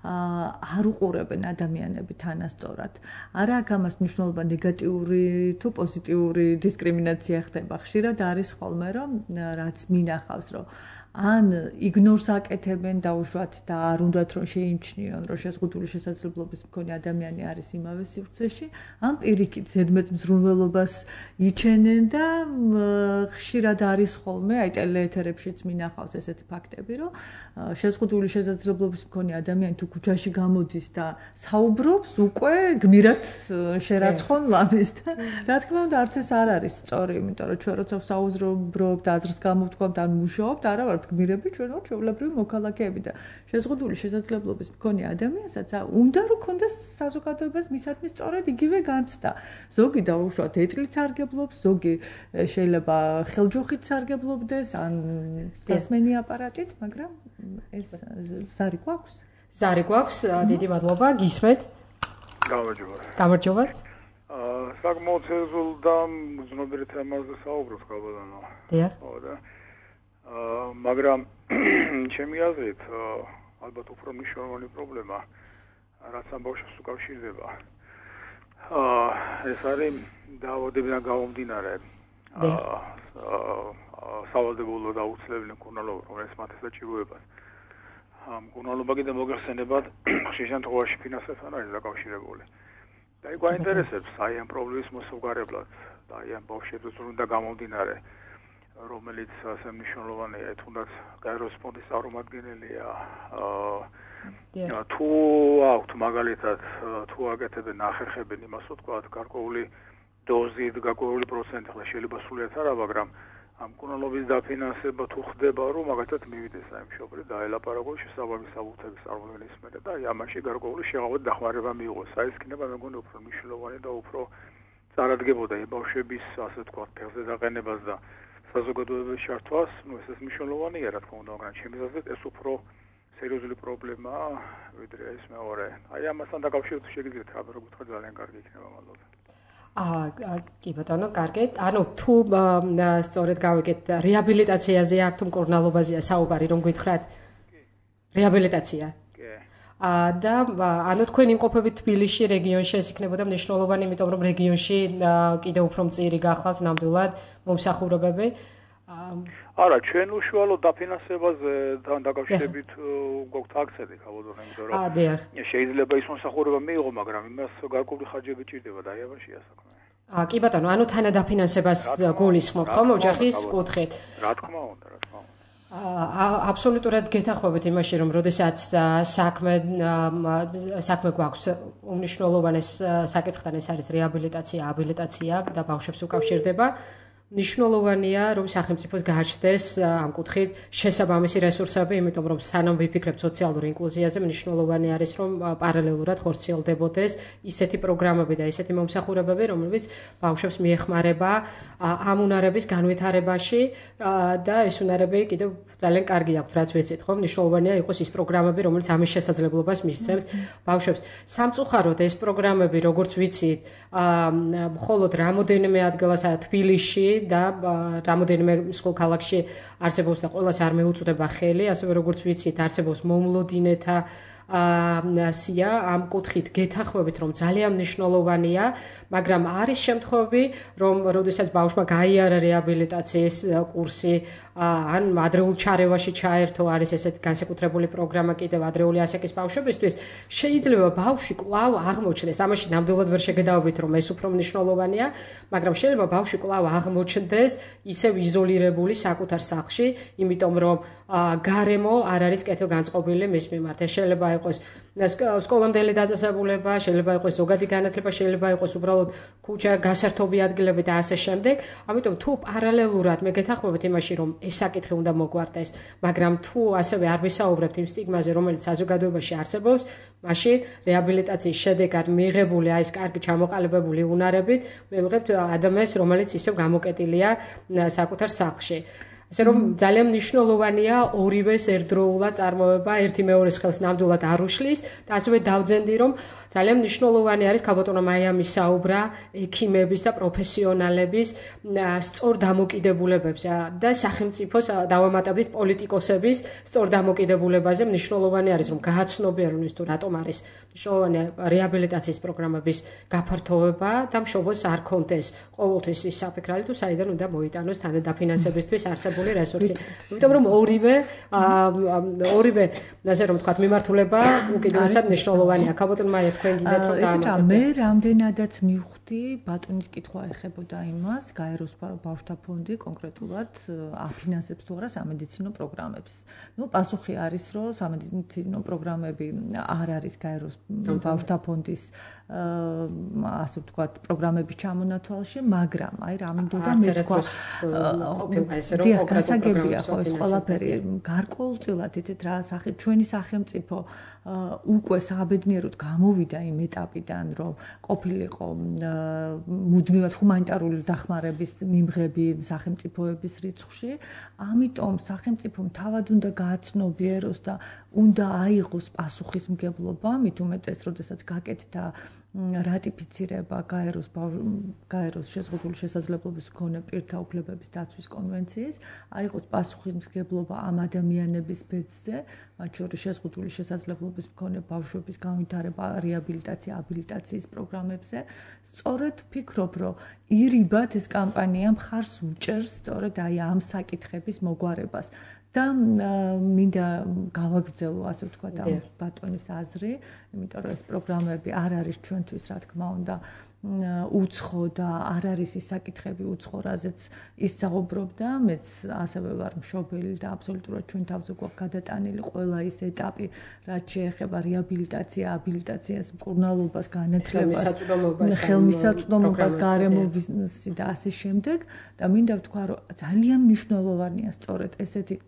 არ უყურებენ ადამიანები თანასწორად. არა აქ ამას მნიშვნელობა ნეგატიური თუ პოზიტიური დისკრიმინაცია ხდება. ხშირად არის ხოლმე, რომ რაც მინახავს, რომ ან იგნორს აკეთებენ დაუშვათ და არ უნდათ რომ შეიმჩნიონ, რომ შეზღუდული შესაძლებლობის მქონე ადამიანი არის იმავე სივრცეში, ან პირიქით ზედმეტ მზრუნველობას იჩენენ და ხშირად არის ხოლმე, აი ტელეეთერებშიც მინახავს ესეთი ფაქტები, რომ შეზღუდული შესაძლებლობის მქონე ადამიანი თუ ქუჩაში გამოდის და საუბრობს, უკვე გმირად შერაცხონ ლამის და რა თქმა უნდა არც ეს არ არის სწორი, იმიტომ რომ ჩვენ როცა საუბრობთ, აზრს გამოვთქვამთ, ან მუშაობთ, არა ვართ გმირები, ჩვენ ვართ ჩვეულებრივი მოქალაქეები და შეზღუდული შესაძლებლობის მქონე ადამიანსაც უნდა რომ ქონდეს საზოგადოებას მისათმის სწორედ იგივე განცდა. ზოგი დაუშვათ ეტლით სარგებლობს, ზოგი შეიძლება ხელჯოხით სარგებლობდეს, ან სასმენი აპარატით, მაგრამ ეს ზარი გვაქვს. ზარი გვაქვს, დიდი მადლობა, გისმენთ. გამარჯობა. საკმაოდ სერიოზულ და ზნობიერ თემაზე საუბრობთ, გაბატონო. დიახ. მაგრამ ჩემი აზრით, ალბათ უფრო მნიშვნელოვანი პრობლემა, რაც ამ ბავშვებს უკავშირდება. ეს არის დაავადებიდან გამომდინარე სავალდებულო და აუცილებელი მკურნალობა, რომელიც მათ ესაჭიროებას. მკურნალობა კიდე მოგეხსენებათ, ხშირ შემთხვევაში ფინანსებთან არის დაკავშირებული. და იქ გვაინტერესებს აი ამ პრობლემის მოსაგვარებლად და აი ამ ბავშვებს უნდა გამომდინარე, რომელიც ასე მნიშვნელოვანია, თუნდაც გაეროს ფონდის წარმომადგენელია. თუ აქვთ მაგალითად, თუ აკეთებენ, ახერხებენ იმას ვთქვათ, გარკვეული დოზით, გარკვეული პროცენტი, ხლა შეიძლება სრულიად არა, მაგრამ ამ მკურნალობის დაფინანსება თუ ხდება, რომ მაგათაც მივიდეს აი მშობლი და ელაპარაკოს შესაბამის საბუთების წარმოქმნის მერე და აი ამაში გარკვეული შეღავად დახმარება მიიღოს. აი ეს იქნება მე მგონი უფრო მნიშვნელოვანი და უფრო წარადგებოდა იმ ბავშვების, ასე ვთქვათ, ფეხზე დაყენებას და საზოგადოების ჩართვას, ეს მნიშვნელოვანია, რა თქმა უნდა, მაგრამ ჩემი აზრით ეს უფრო სერიოზული პრობლემაა, ვიდრე ეს მეორე. აი ამასთან დაკავშირებით შეგიძლიათ რა გითხრათ, ძალიან კარგი იქნება, მადლობა. კი ბატონო, კარგად. ანუ თუ სწორედ გავიგეთ, რეაბილიტაციაზე აქ თუ მკურნალობაზეა საუბარი, რომ გითხრათ? რეაბილიტაცია. და ანუ თქვენ იმყოფებით თბილისში, რეგიონში, ეს იქნებოდა მნიშვნელოვანი, იმიტომ რომ რეგიონში კიდევ უფრო მწირი გახლავთ ნამდვილად მომსახურებები. არა, ჩვენ უშუალოდ დაფინანსებაზე დაკავშირებით გვაქვს აქცენტი, ხაბოდო, იმიტომ რომ შეიძლება ის მომსახურება მიიღო, მაგრამ იმას გარკვეული ხარჯები ჭირდება და აი ამაშია საქმე. კი ბატონო, ანუ თანადაფინანსებას გულისხმობთ ხომ ოჯახის კუთხით? რა თქმა უნდა, რა თქმა უნდა. აბსოლუტურად გეთანხმებით იმაში, რომ როდესაც საქმე გვაქვს უმნიშვნელოვანეს საკითხთან, ეს არის რეაბილიტაცია, აბილიტაცია და ბავშვებს უკავშირდება. მნიშვნელოვანია, რომ სახელმწიფოს გააჩნდეს ამ კუთხით შესაბამისი რესურსები, იმიტომ რომ სანამ ვიფიქრებთ სოციალურ ინკლუზიაზე, მნიშვნელოვანი არის, რომ პარალელურად ხორციელდებოდეს ისეთი პროგრამები და ისეთი მომსახურებები, რომლებიც ბავშვებს მიეხმარება ამ უნარების განვითარებაში და ეს უნარები კიდევ ძალიან კარგი აქვთ, რაც ვიცით, ხო? მნიშვნელოვანია იყოს ის პროგრამები, რომელიც ამის შესაძლებლობას მისცემს ბავშვებს. სამწუხაროდ ეს პროგრამები, როგორც ვიცით, მხოლოდ რამოდენიმე ადგილას თბილისში და რამოდენიმე სხვა ქალაქში არსებობს და ყველას არ მეუწვდება ხელი, ასევე როგორც ვიცით, არსებობს მომლოდინეთა სია ამ კუთხით გეთანხმებით, რომ ძალიან მნიშვნელოვანია, მაგრამ არის შემთხვევები, რომ როდესაც ბავშვმა გაიარა რეაბილიტაციის კურსი, ან ადრეულ ჩარევაში ჩაერთო, არის ესეთ განსაკუთრებული პროგრამა კიდევ ადრეული ასაკის ბავშვებისთვის, შეიძლება ბავშვი კვლავ აღმოჩნდეს. ამაში ნამდვილად ვერ შეგედაობით, რომ ეს უფრო მნიშვნელოვანია, მაგრამ შეიძლება ბავშვი კვლავ აღმოჩნდეს ისევ იზოლირებული საკუთარ სახლში, იმიტომ რომ გარემო არ არის კეთილგანწყობილი მის მიმართ. ეს შეიძლება იყოს სკოლამდელი დაწესებულება, შეიძლება იყოს ზოგადი განათლება, შეიძლება იყოს უბრალოდ ქუჩა, გასართობი ადგილები და ასე შემდეგ. ამიტომ თუ პარალელურად მე გეთანხმებით იმაში, რომ ეს საკითხი უნდა მოგვარდეს, მაგრამ თუ ასევე არ ვისაუბრებთ იმ სტიგმაზე, რომელიც საზოგადოებაში არსებობს, მაშინ რეაბილიტაციის შედეგად მიღებული აი ეს კარგი ჩამოყალიბებული უნარებით მე ვიღებთ ადამიანს, რომელიც ისევ გამოკეტილია საკუთარ სახლში. ასე რომ ძალიან მნიშვნელოვანია ორივეს ერთდროულად წარმოება, ერთი მეორეს ხელს ნამდვილად არ უშლის და ასევე დავძენდი, რომ ძალიან მნიშვნელოვანი არის ქალბატონო მაიამის საუბრა ექიმების და პროფესიონალების სწორ დამოკიდებულებებზე და სახელმწიფოს დავამატებდით პოლიტიკოსების სწორ დამოკიდებულებაზე. მნიშვნელოვანი არის, რომ გააცნობიერონ ის თუ რატომ არის მნიშვნელოვანი რეაბილიტაციის პროგრამების გაფართოვება და მშობელს არ კონდეს ყოველთვის ის საფიქრალი თუ საიდან უნდა მოიტანოს თანადაფინანსებისთვის არსებული რესურსი. იმიტომ რომ ორივე ასე რომ თქვა მიმართულება უკიდურესად მნიშვნელოვანია. ქალბატონ მაია თქვენ გიდეთ რომ დაამატებთ. მე რამდენადაც მივხვდი ბატონის კითხვა ეხებოდა იმას, გაეროს ბავშვთა ფონდი კონკრეტულად აფინანსებს თუ არა სამედიცინო პროგრამებს. პასუხი არის, რომ სამედიცინო პროგრამები არ არის გაეროს ბავშვთა ფონდის ასე ვთქვათ პროგრამების ჩამონათვალში, მაგრამ აი რა მინდოდა მე თქვა გასაგებია ხო ეს ყველაფერი გარკვეულწილად იცით რა ჩვენი სახელმწიფო უკვე საბედნიეროდ გამოვიდა იმ ეტაპიდან რომ ყოფილიყო მუდმივად ჰუმანიტარული დახმარების მიმღები სახელმწიფოების რიცხვში ამიტომ სახელმწიფომ თავად უნდა გააცნობიეროს და უნდა აიღოს პასუხისმგებლობა მით უმეტეს როდესაც გაკეთდა რატიფიცირება გაეროს შეზღუდული შესაძლებლობის მქონე პირთა უფლებების დაცვის კონვენციის აიღოს პასუხისმგებლობა ამ ადამიანების ბედზე მათ შორის შეზღუდული შესაძლებლობის მქონე ბავშვების განვითარება რეაბილიტაცია აბილიტაციის პროგრამებზე სწორედ ვფიქრობ რომ ირიბად ეს კამპანია მხარს უჭერს სწორედ აი ამ საკითხების მოგვარებას და მინდა გავაგრძელო ასე ვთქვათ ამ ბატონის აზრი, იმიტომ რომ ეს პროგრამები არ არის ჩვენთვის რა თქმა უნდა უცხო და არ არის ის საკითხები უცხო, რაზეც ისწავლობდა, მეც ასევე ვარ მშობელი და აბსოლუტურად ჩვენ თავზე გვაქვს გადატანილი ყველა ის ეტაპი, რაც შეეხება რეაბილიტაცია, აბილიტაციას, მკურნალობას, განათლებას, ხელმისაწვდომობას, გარემოების და ასე შემდეგ და მინდა ვთქვა, რომ ძალიან მნიშვნელოვანია სწორედ ესეთი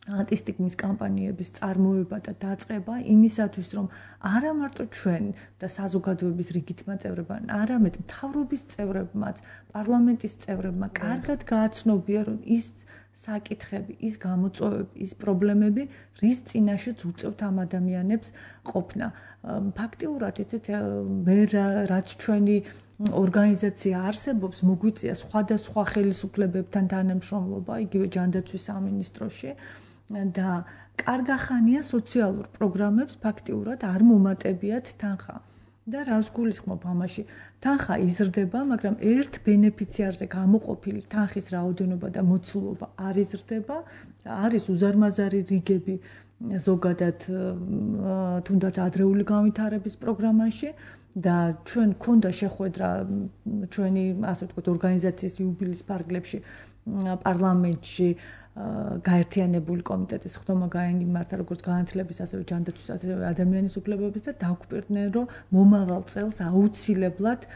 ანტისტიგმის კამპანიების წარმოება და დაწყება იმისათვის, რომ არა მარტო ჩვენ და საზოგადოების რიგითმა წევრებმა, არამედ მთავრობის წევრებმაც, პარლამენტის წევრებმა კარგად გააცნობიერონ ის საკითხები, ის გამოწვევები, ის პრობლემები, რის წინაშეც უწევთ ამ ადამიანებს ყოფნა. ფაქტიურად, იცით, მე რაც ჩვენი ორგანიზაცია არსებობს, მოგვიწია სხვადასხვა ხელისუფლებებთან თანამშრომლობა, იგივე ჯანდაცვის სამინისტროში და კარგახანია სოციალურ პროგრამებს ფაქტიურად არ მომატებიათ თანხა. და რას გულისხმობ ამაში? თანხა იზრდება, მაგრამ ერთ ბენეფიციარზე გამოყოფილი თანხის რაოდენობა და მოცულობა არ იზრდება და არის უზარმაზარი რიგები ზოგადად თუნდაც ადრეული განვითარების პროგრამაში და ჩვენ გქონდა შეხვედრა ჩვენი ასე ვთქვათ ორგანიზაციის იუბილეის ფარგლებში პარლამენტში გაერთიანებული კომიტეტის ხდომა გაიმართა როგორც განათლების ასევე ჯანდაცვის ასევე ადამიანის უფლებების და დაგვკვირდნენ რომ მომავალ წელს აუცილებლად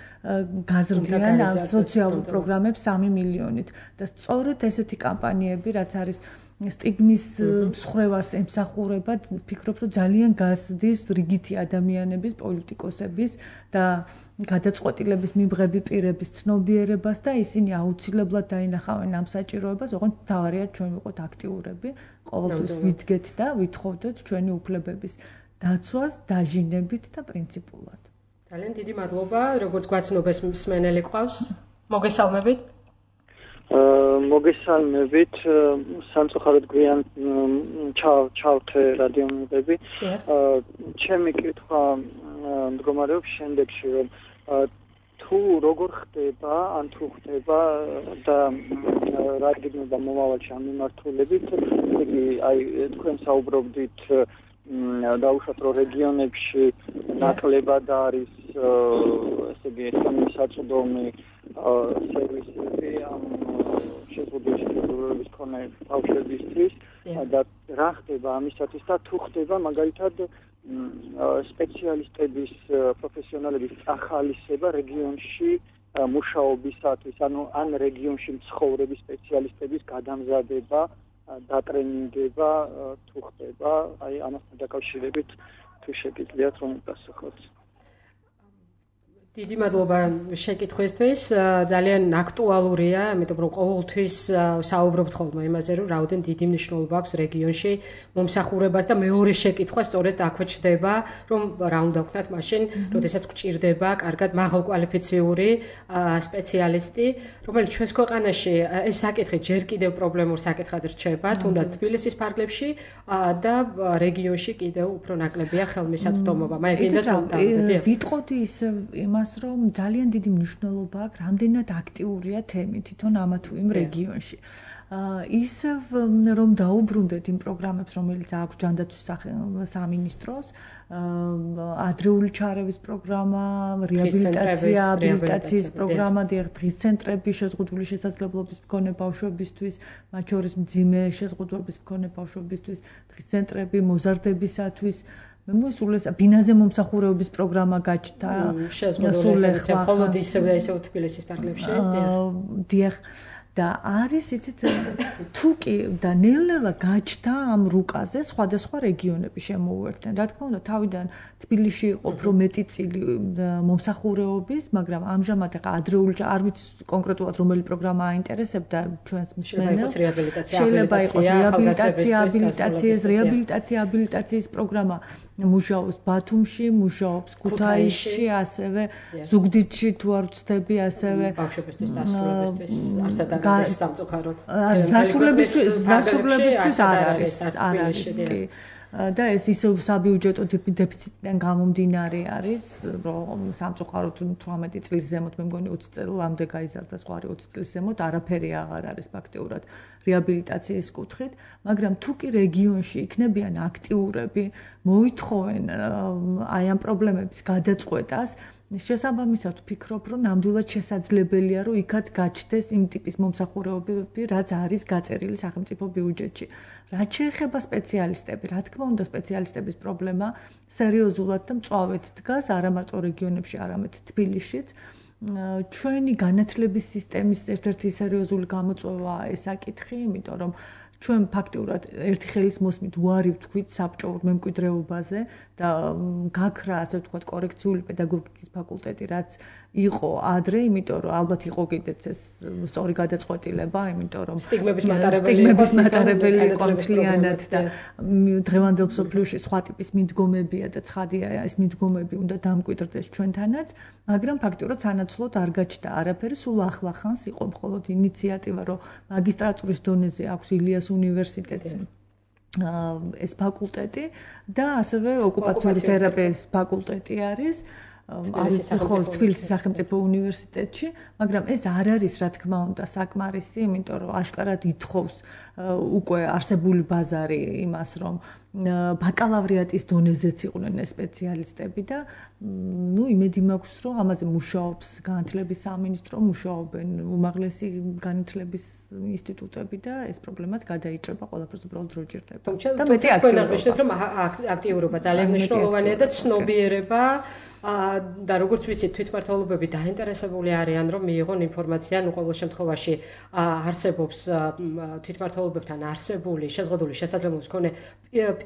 გაზრდიან ამ სოციალურ პროგრამებს 3 მილიონით და სწორედ ესეთი კამპანიები რაც არის სტიგმის მსხრევას ემსახურება, ვფიქრობ, რომ ძალიან გაზრდის რიგითი ადამიანების, პოლიტიკოსების და გადაწყვეტილების მიმღები პირების ცნობიერებას და ისინი აუცილებლად დაინახავენ ამ საჭიროებას, ოღონდ თავარია ჩვენ ვიყოთ აქტიურები, ყოველთვის ვიდგეთ და ვითხოვდეთ ჩვენი უფლებების დაცვას დაჟინებით და პრინციპულად. ძალიან დიდი მადლობა, როგორც გვაცნობს მსმენელი ყავს. მოგესალმებით. მოგესალმებით, სამწუხაროდ გვიან ჩავთე რადიომიღები. ჩემი კითხვა მდგომარეობს შემდეგში, რომ თუ როგორ ხდება, ან თუ ხდება და რა გიგნება მომავალში ამ მიმართულებით, იგი აი თქვენ საუბრობდით დაუშვათ რომ რეგიონებში ნაკლებად არის ესე იგი ხელმისაწვდომი სერვისები ამ შეზღუდული შესაძლებლობის მქონე ბავშვებისთვის და რა ხდება ამისათვის და თუ ხდება მაგალითად სპეციალისტების პროფესიონალების ახალისება რეგიონში მუშაობისათვის, ანუ ან რეგიონში მცხოვრები სპეციალისტების გადამზადება, დატრენინგება თუ ხდება, აი ამასთან დაკავშირებით თუ შეგიძლიათ რომ პასუხოთ. დიდი მადლობა შეკითხვისთვის. ძალიან აქტუალურია, იმიტომ რომ ყოველთვის საუბრობთ ხოლმე იმაზე, რომ რაოდენ დიდი მნიშვნელობა აქვს რეგიონში მომსახურებას და მეორე შეკითხვა სწორედ აქვე ჩდება, რომ რა უნდა ვქნათ მაშინ, როდესაც გვჭირდება კარგად მაღალკვალიფიციური სპეციალისტი, რომელიც ჩვენს ქვეყანაში ეს საკითხი ჯერ კიდევ პრობლემურ საკითხად რჩება, თუნდაც თბილისის ფარგლებში და რეგიონში კიდევ უფრო ნაკლებია ხელმისაწვდომობა. მე გინდათ რომ დავდე. ვიტყოდი ის იმას რომ ძალიან დიდი მნიშვნელობა აქვს რამდენად აქტიურია თემი თვითონ ამა თუ იმ რეგიონში. ისევ რომ დაუბრუნდეთ იმ პროგრამებს, რომელიც აქვს ჯანდაცვის სამინისტროს, ადრეული ჩარევის პროგრამა, რეაბილიტაციის პროგრამა, დღის ცენტრები შეზღუდული შესაძლებლობის მქონე ბავშვებისთვის, მათ შორის მძიმე შეზღუდვების მქონე ბავშვებისთვის, დღის ცენტრები მოზარდებისათვის მე მოსულეს ბინაზე მომსახურების პროგრამა გაჩნდა შესაძლოა მხოლოდ ისევ თბილისის ფარგლებში დიახ და არის იცით თუ კი და ნელ-ნელა გაჩნდა ამ რუკაზე სხვადასხვა რეგიონები შემოუერთდნენ. რა თქმა უნდა თავიდან თბილისში იყო უფრო მეტი წილი მომსახურების, მაგრამ ამჟამად ახლა ადრეული არ ვიცი კონკრეტულად რომელი პროგრამა აინტერესებდა ჩვენს მსმენელს. შეიძლება იყოს რეაბილიტაციის პროგრამა მუშაობს ბათუმში, მუშაობს ქუთაისში, ასევე ზუგდიდში თუ არ ვცდები, ასევე ბავშვებისთვის დასრულებისთვის არსად არის სამწუხაროდ. დასრულებისთვის არ არის კი. და ეს ისევ საბიუჯეტო დეფიციტიდან გამომდინარე არის, რომ სამწუხაროდ 18 წლის ზემოთ მე მგონი 20 წელამდე გაიზარდა სხვა 20 წლის ზემოთ არაფერი აღარ არის ფაქტიურად რეაბილიტაციის კუთხით, მაგრამ თუ კი რეგიონში იქნებიან აქტიურები, მოითხოვენ აი ამ პრობლემების გადაწყვეტას, შესაბამისად ვფიქრობ, რომ ნამდვილად შესაძლებელია, რომ იქაც გაჩნდეს იმ ტიპის მომსახურებები, რაც არის გაწერილი სახელმწიფო ბიუჯეტში. რაც შეეხება სპეციალისტები, რა თქმა უნდა, სპეციალისტების პრობლემა სერიოზულად და მწვავედ დგას არა მარტო რეგიონებში, არამედ თბილისშიც. ჩვენი განათლების სისტემის ერთ-ერთი სერიოზული გამოწვევაა ეს საკითხი, იმიტომ რომ ჩვენ ფაქტიურად ერთი ხელის მოსმით უარი ვთქვით საბჭოურ მემკვიდრეობაზე და გაქრა, ასე ვთქვათ, კორექციული პედაგოგიკის ფაკულტეტი, რაც იყო ადრე, იმიტომ რომ ალბათ იყო კიდეც ეს სწორი გადაწყვეტილება, იმიტომ რომ სტიგმების მატარებელი იყო მთლიანად და დღევანდელ მსოფლიოში სხვა ტიპის მიდგომებია და ცხადია, ეს მიდგომები უნდა დამკვიდრდეს ჩვენთანაც, მაგრამ ფაქტიურად სანაცვლოდ არ გაჩნდა არაფერი, სულ ახლახანს იყო მხოლოდ ინიციატივა, რომ მაგისტრატურის დონეზე აქვს ილიას უნივერსიტეტს ეს ფაკულტეტი და ასევე ოკუპაციური თერაპიის ფაკულტეტი არის თბილისის სახელმწიფო უნივერსიტეტში, მაგრამ ეს არ არის, რა თქმა უნდა, საკმარისი, იმიტომ რომ აშკარად ითხოვს უკვე არსებული ბაზარი იმას, რომ ბაკალავრიატის დონეზეც იყვნენ სპეციალისტები და იმედი მაქვს, რომ ამაზე მუშაობს განათლების სამინისტრო, მუშაობენ უმაღლესი განათლების ინსტიტუტები და ეს პრობლემაც გადაიჭრება, ყველაფერს უბრალოდ რო ჭირდება. და მეტი აქტიურობა ძალიან მნიშვნელოვანია და ცნობიერება და როგორც ვიცით, თვითმმართველობები დაინტერესებული არიან, რომ მიიღონ ინფორმაცია, ნუ ყოველ შემთხვევაში არსებობს თვითმმართველობებთან არსებული შეზღუდული შესაძლებლობის მქონე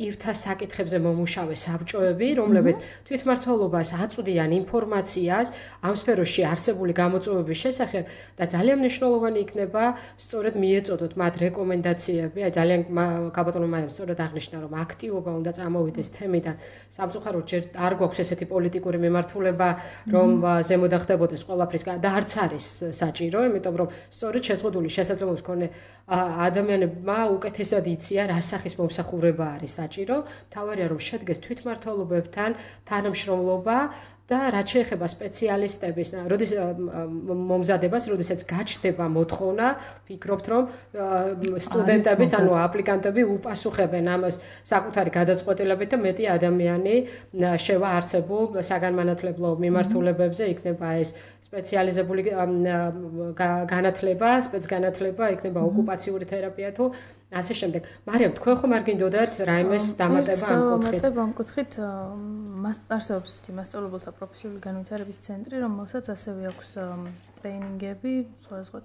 პირთა საკითხებზე მომუშავე საბჭოები, რომლებიც თვითმმართველობას აწვდიან ინფორმაციას ამ სფეროში არსებული გამოწვევების შესახებ და ძალიან მნიშვნელოვანი იქნება სწორედ მიეწოდოთ მათ რეკომენდაციები, აი ძალიან გაბატონო მაიამ სწორედ აღნიშნა, რომ აქტივობა უნდა წამოვიდეს თემიდან. სამწუხაროდ ჯერ არ გვაქვს ესეთი პოლიტიკური მიმართულება, რომ ზემოდან ხდებოდეს ყველაფრის და არც არის საჭირო, იმიტომ რომ სწორედ შეზღუდული შესაძლებლობის მქონე ადამიანებმა უკეთესად იციან, რა სახის მომსახურება არის საჭირო. მთავარია, რომ შედგეს თვითმმართველობებთან თანამშრომლობა და რაც შეეხება სპეციალისტების მომზადებას, როდესაც გაჩნდება მოთხოვნა, ვფიქრობთ, რომ სტუდენტებიც, ანუ აპლიკანტები უპასუხებენ ამას საკუთარი გადაწყვეტილებით და მეტი ადამიანი შევა არსებულ საგანმანათლებლო მიმართულებებზე, იქნება ეს სპეციალიზებული განათლება, სპეცგანათლება, იქნება ოკუპაციური თერაპია თუ ასე შემდეგ. მარიამ, თქვენ ხომ არ გინდოდათ რაიმეს დამატება ამ კუთხით? ამ კუთხით არსებობს ისეთი მასწავლებელთა პროფესიული განვითარების ცენტრი, რომელსაც ასევე აქვს ტრეინინგები, სხვადასხვა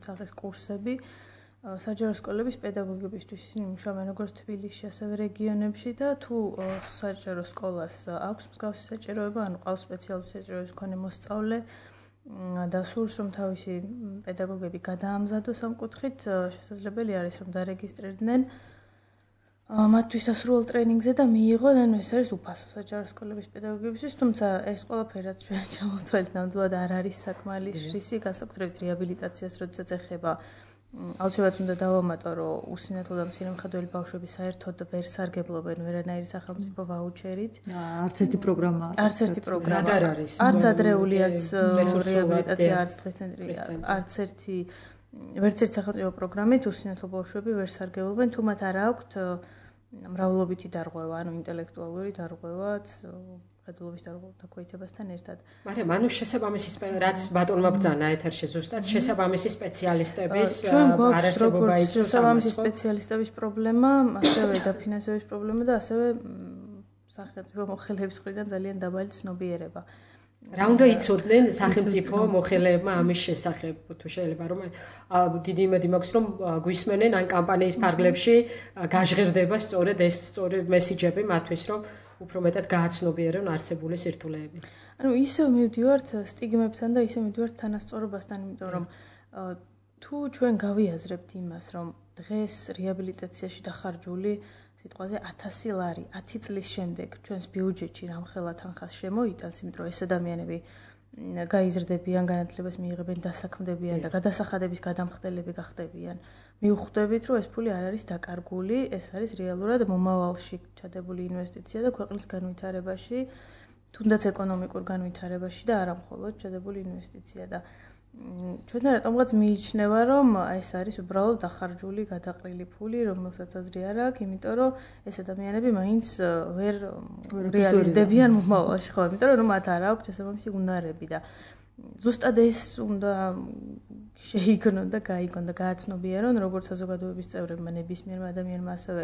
სახის კურსები საჯარო სკოლების პედაგოგებისთვის. ისინი მუშაობენ როგორც თბილისში, ასევე რეგიონებში და თუ საჯარო სკოლას აქვს მსგავსი საჭიროება, ანუ ყავს სპეციალური საჭიროების მქონე მოსწავლე და სურს რომ თავისი პედაგოგები გადაამზადოს ამ კუთხით, შესაძლებელი არის რომ დარეგისტრირდნენ მათთვის ასრულ ტრეინინგზე და მიიღონ, ანუ ეს არის უფასო საჯარო სკოლების პედაგოგებისთვის, თუმცა ეს ყველაფერი რაც ჩვენ ჩამოვთვალეთ, ნამდვილად არ არის საკმარისი, განსაკუთრებით რეაბილიტაციას, როდესაც ეხება აუცილებლად უნდა დავამატო, რომ usინათლო და მცირე მხედველი ბავშვები საერთოდ ვერ სარგებლობენ ვერანაირი სახელმწიფო ვაუჩერით. არც ერთი პროგრამა. არც ერთი პროგრამა. ზად არ არის. არც ადრეულიაც რეაბილიტაცია, არც დღეს ცენტრი, არც ერთი ვერც ერთი სახელმწიფო პროგრამით usინათლო ბავშვები ვერ სარგებლობენ, თუ მათ არ აქვთ მრავლობითი დარღვევა, ანუ ინტელექტუალური დარღვევაც, გადლობის დაქვეითებასთან ერთად. მაგრამ ანუ რაც ბატონმა ბრძანა ეთერში ზუსტად შესაბამისი სპეციალისტების არარსებობა იქნება. შესაბამისი სპეციალისტების პრობლემა, ასევე დაფინანსების პრობლემა და ასევე სახელმწიფო მოხელეების მხრიდან ძალიან დაბალი ცნობიერება. რა უნდა იცოდნენ სახელმწიფო მოხელეებმა ამის შესახებ, თუ შეიძლება რომ დიდი იმედი მაქვს რომ გვისმენენ ან კამპანიის ფარგლებში გაჟღერდება სწორედ ეს მესიჯები მათთვის რომ უფრო მეტად გააცნობიერონ არსებული სირთულეები. ანუ ისევ მივდივართ სტიგმებთან და ისევ მივდივართ თანასწორობასთან, იმიტომ რომ თუ ჩვენ გავიაზრებთ იმას, რომ დღეს რეაბილიტაციაში დახარჯული სიტყვაზე 1000 ლარი 10 წლის შემდეგ ჩვენს ბიუჯეტში რამხელა თანხას შემოიტანს, იმიტომ რომ ეს ადამიანები გაიზრდებიან, განათლებას მიიღებენ, დასაქმდებიან და გადასახადების გადამხდელები გახდებიან. მივხვდებით, რომ ეს ფული არ არის დაკარგული, ეს არის რეალურად მომავალში ჩადებული ინვესტიცია და ქვეყნის განვითარებაში, თუნდაც ეკონომიკურ განვითარებაში და არა მხოლოდ ჩადებული ინვესტიცია და ჩვენ რატომღაც მიიჩნევა, რომ ეს არის უბრალოდ დახარჯული, გადაყრილი ფული, რომელსაც აზრი არ აქვს, იმიტომ რომ ეს ადამიანები მაინც ვერ რეალიზდებიან მომავალში, ხო, იმიტომ რომ მათ არ აქვს შესაბამისი უნარები და ზუსტად ეს უნდა შეიგონონ და გაიგონ და გააცნობიერონ როგორც საზოგადოების წევრებმა, ნებისმიერ ადამიანმა, ასევე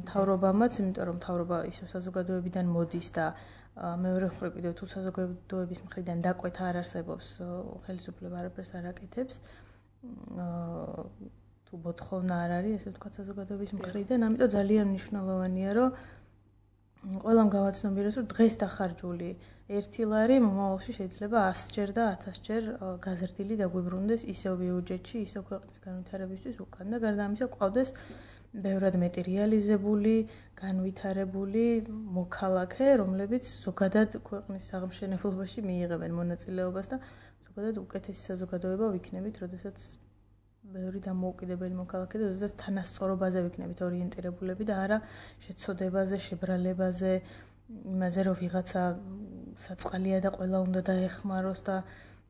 მთავრობამაც, იმიტომ რომ მთავრობა ისევ საზოგადოებიდან მოდის და მეორე მხრივ კიდევ თუ საზოგადოების მხრიდან დაკვეთა არ არსებობს, ხელისუფლება არაფერს არ აკეთებს. თუ მოთხოვნა არ არის, ესე ვთქვათ, საზოგადოების მხრიდან, ამიტომ ძალიან მნიშვნელოვანია, რომ ყველამ გავაცნობიეროს, რომ დღეს დახარჯული 1 ლარი მომავალში შეიძლება 100-ჯერ და 1000-ჯერ გაზრდილი დაგვიბრუნდეს ისევ ბიუჯეტში, ისევ ქვეყნის განვითარებისთვის უკან და გარდა ამისა გვყავდეს ბევრად მეტი რეალიზებული, განვითარებული მოქალაქე, რომლებიც ზოგადად ქვეყნის აღმშენებლობაში მიიღებენ მონაწილეობას და ზოგადად უკეთესი საზოგადოება ვიქნებით, როდესაც ბევრი დამოუკიდებელი მოქალაქე და ზოგადად თანასწორობაზე ვიქნებით ორიენტირებულები და არა შეცოდებაზე, შებრალებაზე, იმაზე რომ ვიღაცა საწყალია და ყველა უნდა დაეხმაროს და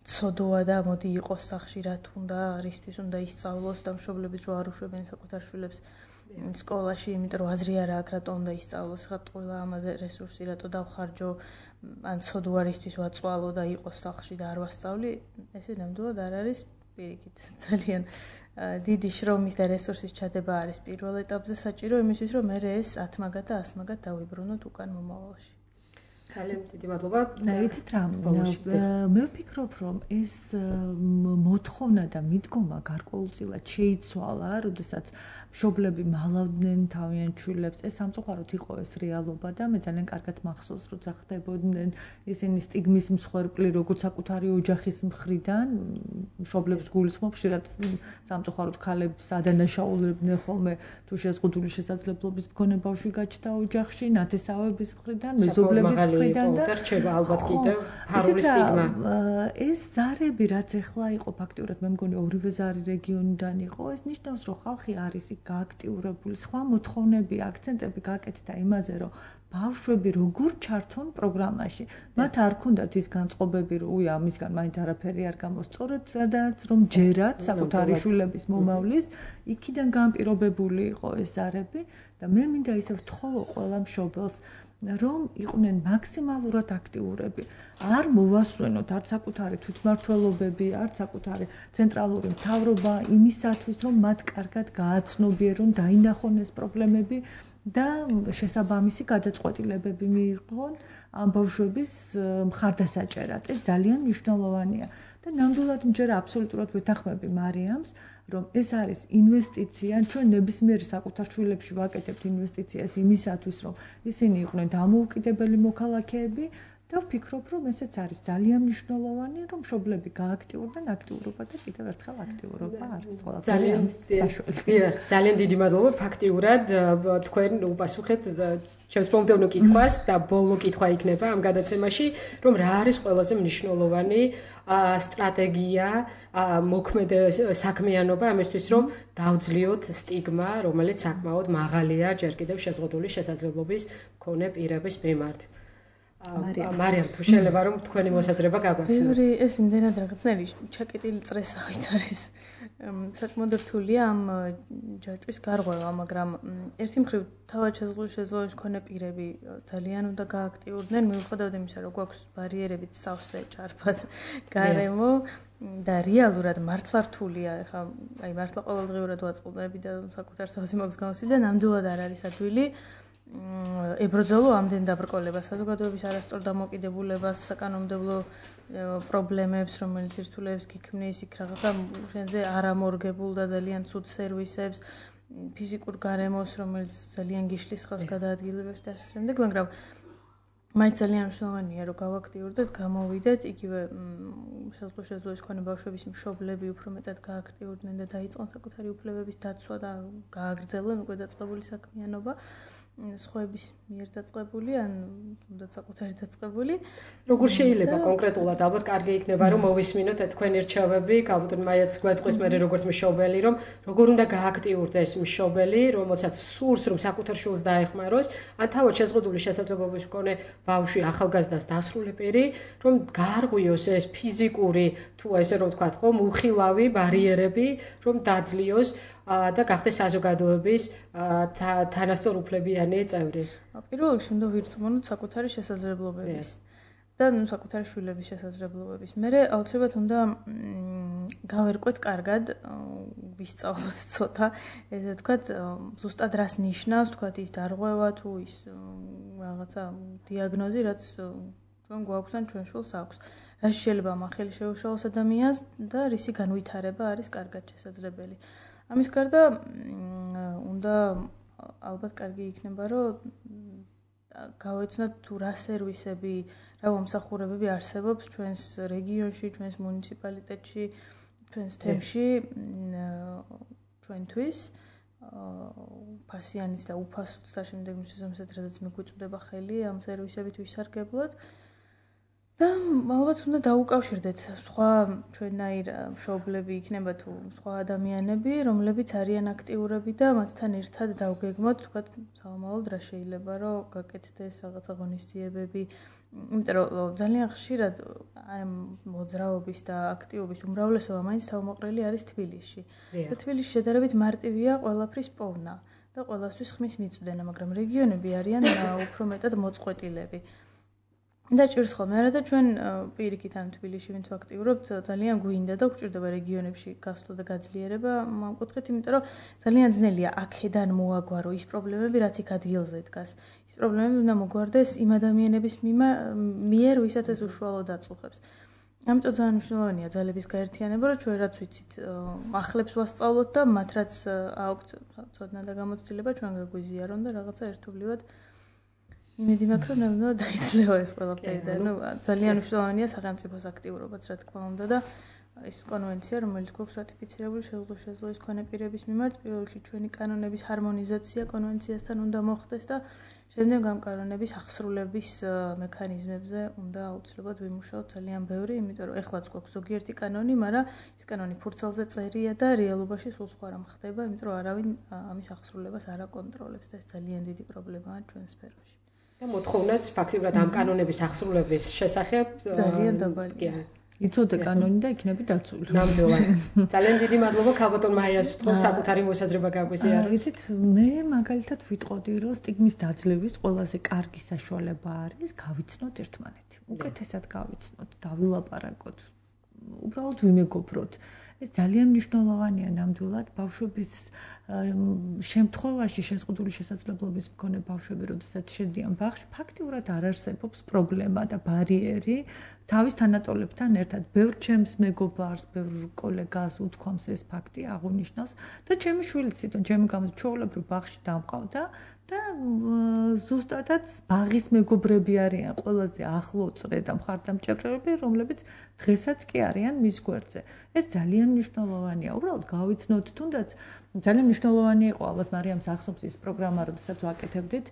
ცოდოა და მოდი იყოს სახში რა თუნდა, რისთვის უნდა ისწავლოს და მშობლებიც რო არ უშვებენ საკუთარ შვილებს სკოლაში, იმიტომ რომ აზრი არ აქვს რატო უნდა ისწავლოს, ხა ყველა ამაზე რესურსი რატო დავხარჯო, ან ცოდოა რისთვის ვაწვალო და იყოს სახში და არ ვასწავლი, ესე ნამდვილად არ არის პირიქით. ძალიან დიდი შრომის და რესურსის ჩადება არის პირველ ეტაპზე საჭირო იმისთვის, რომ მე ეს 10 მაგად და 100 მაგად დავიბრუნოთ უკან მომავალში. ძალიან დიდი მადლობა. იცით რა, მე ვფიქრობ, რომ ეს მოთხოვნა და მიდგომა გარკვეულწილად შეიცვალა, როდესაც მშობლები მალავდნენ თავიანთ შვილებს. ეს სამწუხაროდ იყო ეს რეალობა და მე ძალიან კარგად მახსოვს, როცა ხდებოდნენ ისინი სტიგმის მსხვერპლი, როგორც საკუთარი ოჯახის მხრიდან, მშობლებს გულისხმობ, ხშირად სამწუხაროდ ქალებს ადანაშაულებდნენ ხოლმე, თუ შეზღუდული შესაძლებლობის მქონე ბავშვი გაჩნდა ოჯახში, ნათესავების მხრიდან, მეზობლების მხრიდან და რჩება ალბათ კიდევ ფარული სტიგმა. ეს ზარები, რაც ეხლა იყო ფაქტიურად, მე მგონი ორივე ზარი რეგიონიდან იყო, ეს ნიშნავს, რომ ხალხი არის გააქტიურებული, სხვა მოთხოვნები, აქცენტები გაკეთდა იმაზე, რომ ბავშვები როგორ ჩართონ პროგრამაში. მათ არ ქონდათ ის განწყობები, რომ უი ამისგან მაინც არაფერი არ გამოსწორეთ, სადაც რომ ჯერათ საკუთარი შვილების მომავლის, იქიდან განპირობებული იყო ეს ზარები და მე მინდა ისევ ვთხოვო ყველა მშობელს რომ იყვნენ მაქსიმალურად აქტიურები. არ მოვასვენოთ არც საკუთარი თვითმმართველობები, არც საკუთარი ცენტრალური მთავრობა იმისათვის, რომ მათ კარგად გააცნობიერონ, დაინახონ ეს პრობლემები და შესაბამისი გადაწყვეტილებები მიიღონ ამ ბავშვების მხარდასაჭერად. ეს ძალიან მნიშვნელოვანია და ნამდვილად მჯერა აბსოლუტურად ვეთანხმები მარიამს, რომ ეს არის ინვესტიცია, ჩვენ ნებისმიერ საკუთარ შვილებში ვაკეთებთ ინვესტიციას იმისათვის, რომ ისინი იყვნენ დამოუკიდებელი მოქალაქეები და ვფიქრობ, რომ ესეც არის ძალიან მნიშვნელოვანი, რომ მშობლები გააქტიურდნენ აქტიურობა და კიდევ ერთხელ აქტიურობა არის ყველაფერი საშუალო. ძალიან დიდი მადლობა ფაქტიურად თქვენ უპასუხეთ ჩემს მომდევნო კითხვას და ბოლო კითხვა იქნება ამ გადაცემაში, რომ რა არის ყველაზე მნიშვნელოვანი სტრატეგია, მოქმედი საქმიანობა ამისთვის, რომ დავძლიოთ სტიგმა, რომელიც საკმაოდ მაღალია ჯერ კიდევ შეზღუდული შესაძლებლობის მქონე პირების მიმართ. მარიამ, თუ შეიძლება რომ თქვენი მოსაზრება გაგვაცნოთ. ბევრი ეს იმდენად რაღაცნაირი ჩაკეტილი წრესავით არის. საკმაოდ რთულია ამ ჯაჭვის გარღვევა, მაგრამ ერთი მხრივ თავად შეზღუდული მქონე პირები ძალიან უნდა გააქტიურდნენ, მიუხედავად იმისა, რომ გვაქვს ბარიერებით სავსე ჭარბად გარემო და რეალურად მართლა რთულია, ეხლა აი მართლა ყოველდღიურად ვაწყობები და საკუთარ თავზე მაგას გამოსვი და ნამდვილად არ არის ადვილი. ებრძოლო ამდენ დაბრკოლებას, საზოგადოების არასწორ დამოკიდებულებას, საკანონმდებლო პრობლემებს, რომელიც ერთულებს გიქმნის იქ რაღაცა შენზე არამორგებულ და ძალიან ცუდ სერვისებს, ფიზიკურ გარემოს, რომელიც ძალიან გიშლის ხავს გადაადგილებებს და ასე შემდეგ, მაგრამ მაინც ძალიან მნიშვნელოვანია, რომ გავაქტიურდეთ, გამოვიდეთ, იგივე შესაძლოა მქონე ბავშვების მშობლები უფრო მეტად გააქტიურდნენ და დაიწყონ საკუთარი უფლებების დაცვა და გააგრძელონ უკვე დაწყებული საქმიანობა. სხვების მიერ დაწყებული ან თუნდაც საკუთარი დაწყებული. როგორ შეიძლება კონკრეტულად ალბათ კარგი იქნება რომ მოვისმინოთ თქვენი რჩევები, ალბათ მაიაც გვეტყვის მე როგორც მშობელი, რომ როგორ უნდა გააქტიურდეს მშობელი, რომელსაც სურს რომ საკუთარ შვილს დაეხმაროს, ან თავად შეზღუდული შესაძლებლობის მქონე ბავშვი ახალგაზრდას დასრული პირი, რომ გაარღვიოს ეს ფიზიკური თუ ესე რომ ვთქვათ, ხო, მუხილავი ბარიერები, რომ დაძლიოს და გახდეს საზოგადოების თანასწორ უფლებიანი წევრი. პირველ რიგში უნდა ვირწმუნოთ საკუთარი შესაძლებლობების და საკუთარი შვილების შესაძლებლობების. მერე აუცილებლად უნდა გავერკვეთ კარგად, ვისწავლოთ ცოტა, ესე ვთქვათ, ზუსტად რას ნიშნავს, ვთქვათ, ის დარღვევა თუ ის რაღაცა დიაგნოზი, რაც თქვენ გვაქვს ან ჩვენ შვილს აქვს. რაც შეიძლება მახელი შეუშალოს ადამიანს და რისი განვითარება არის კარგად შესაძლებელი. ამის გარდა უნდა ალბათ კარგი იქნება, რომ გავეცნოთ თუ რა სერვისები, რა მომსახურებები არსებობს ჩვენს რეგიონში, ჩვენს მუნიციპალიტეტში, ჩვენს თემში ჩვენთვის ფასიანიც და უფასოც და შემდეგ შესაძლოა რადგან მიგვიწვდება ხელი ამ სერვისებით ვისარგებლოთ. და ალბათ უნდა დაუკავშირდეთ სხვა ჩვენაირ მშობლები იქნება თუ სხვა ადამიანები, რომლებიც არიან აქტიურები და მათთან ერთად დავგეგმოთ, თქვათ, სავარაუდოდ რა შეიძლება რომ გაკეთდეს რაღაცა ღონისძიებები, იმიტომ რომ ძალიან ხშირად აი მოძრაობის და აქტივობის უმრავლესობა მაინც თავმოყრილი არის თბილისში. და თბილისში შედარებით მარტივია ყველაფრის პოვნა და ყველასთვის ხმის მიწვდენა, მაგრამ რეგიონები არიან უფრო მეტად მოწყვეტილები. და ჭირს ხოლმე არა და ჩვენ პირიქით ამ თბილისში ვინც ვაქტიურობთ ძალიან გვინდა და გვჭირდება რეგიონებში გასვლა და გაძლიერება ამ კუთხით, იმიტომ რომ ძალიან ძნელია აქედან მოაგვარო ის პრობლემები, რაც იქ ადგილზე დგას. ის პრობლემები უნდა მოგვარდეს იმ ადამიანების მიერ, ვისაც ეს უშუალოდ აწუხებს. ამიტომ ძალიან მნიშვნელოვანია ძალების გაერთიანება, რომ ჩვენ რაც ვიცით, ახლებს ვასწავლოთ და მათ რაც აქვთ ცოდნა და გამოცდილება ჩვენ გაგვიზიარონ და რაღაცა ერთობლივად იმედი მაქვს, რომ ნამდვილად დაიცლება ეს ყველაფერი და ძალიან მნიშვნელოვანია სახელმწიფოს აქტიურობაც, რა თქმა უნდა და ის კონვენცია, რომელიც გვაქვს რატიფიცირებული შესაძლოა მქონე პირების მიმართ, პირველ რიგში ჩვენი კანონების ჰარმონიზაცია კონვენციასთან უნდა მოხდეს და შემდეგ ამ კანონების აღსრულების მექანიზმებზე უნდა აუცილებლად ვიმუშაოთ ძალიან ბევრი, იმიტომ რომ ეხლაც გვაქვს ზოგიერთი კანონი, მაგრამ ის კანონი ფურცელზე წერია და რეალობაში სულ სხვა რამ ხდება, იმიტომ რომ არავინ ამის აღსრულებას არ აკონტროლებს და ეს ძალიან დიდი პრობლემაა ჩვენ სფეროში. და მოთხოვნაც ფაქტიურად ამ კანონების აღსრულების შესახებ ძალიან დაბალია. იცოდე კანონი და იქნები დაცული. ნამდვილად. ძალიან დიდი მადლობა ქალბატონ მაიას ვთქვი საკუთარი მოსაზრება გაგვიზიარა. იცით, მე მაგალითად ვიტყოდი, რომ სტიგმის დაძლევის ყველაზე კარგი საშუალება არის გავიცნოთ ერთმანეთი. უკეთესად გავიცნოთ, დავილაპარაკოთ. უბრალოდ ვიმეგობროთ. ეს ძალიან მნიშვნელოვანია ნამდვილად ბავშვების შემთხვევაში შეზღუდული შესაძლებლობის მქონე ბავშვები, როდესაც შედიან ბაღში, ფაქტიურად არ არსებობს პრობლემა და ბარიერი თავის თანატოლებთან ერთად. ბევრ ჩემს მეგობარს, ბევრ კოლეგას უთქვამს ეს ფაქტი, აღუნიშნავს და ჩემი შვილიც თვითონ ჩემი გამოს ჩვეულებრივ ბაღში დამყავდა და ზუსტადაც ბაღის მეგობრები არიან ყველაზე ახლო წრე და მხარდამჭერები, რომლებიც დღესაც კი არიან მის გვერდზე. ეს ძალიან მნიშვნელოვანია. უბრალოდ გავიცნოთ, თუნდაც ძალიან მნიშვნელოვანი იყო ალბათ მარიამს ახსოვს ის პროგრამა, როდესაც ვაკეთებდით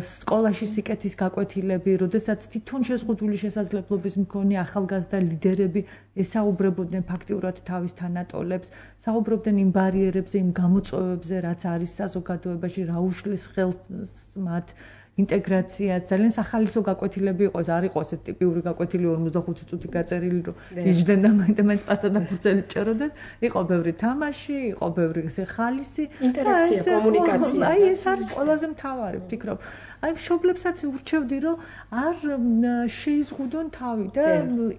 სკოლაში სიკეთის გაკვეთილები, როდესაც თვითონ შეზღუდული შესაძლებლობის მქონე ახალგაზრდა ლიდერები ესაუბრებოდნენ ფაქტიურად თავის თანატოლებს, საუბრობდნენ იმ ბარიერებზე, იმ გამოწვევებზე, რაც არის საზოგადოებაში, რა უშლის ხელს მათ ინტეგრაცია. ძალიან სახალისო გაკვეთილები იყო, ეს არ იყო ესეთ ტიპიური გაკვეთილი 45 წუთი გაწერილი, რომ იჯდნენ და მაინც პასტა და ფურცელი ჭეროდნენ. იყო ბევრი თამაში, იყო ბევრი ხალისი, ინტერაქცია, კომუნიკაცია. აი ეს არის ყველაზე მთავარი, ვფიქრობ. აი მშობლებსაც ურჩევდი, რომ არ შეიზღუდონ თავი და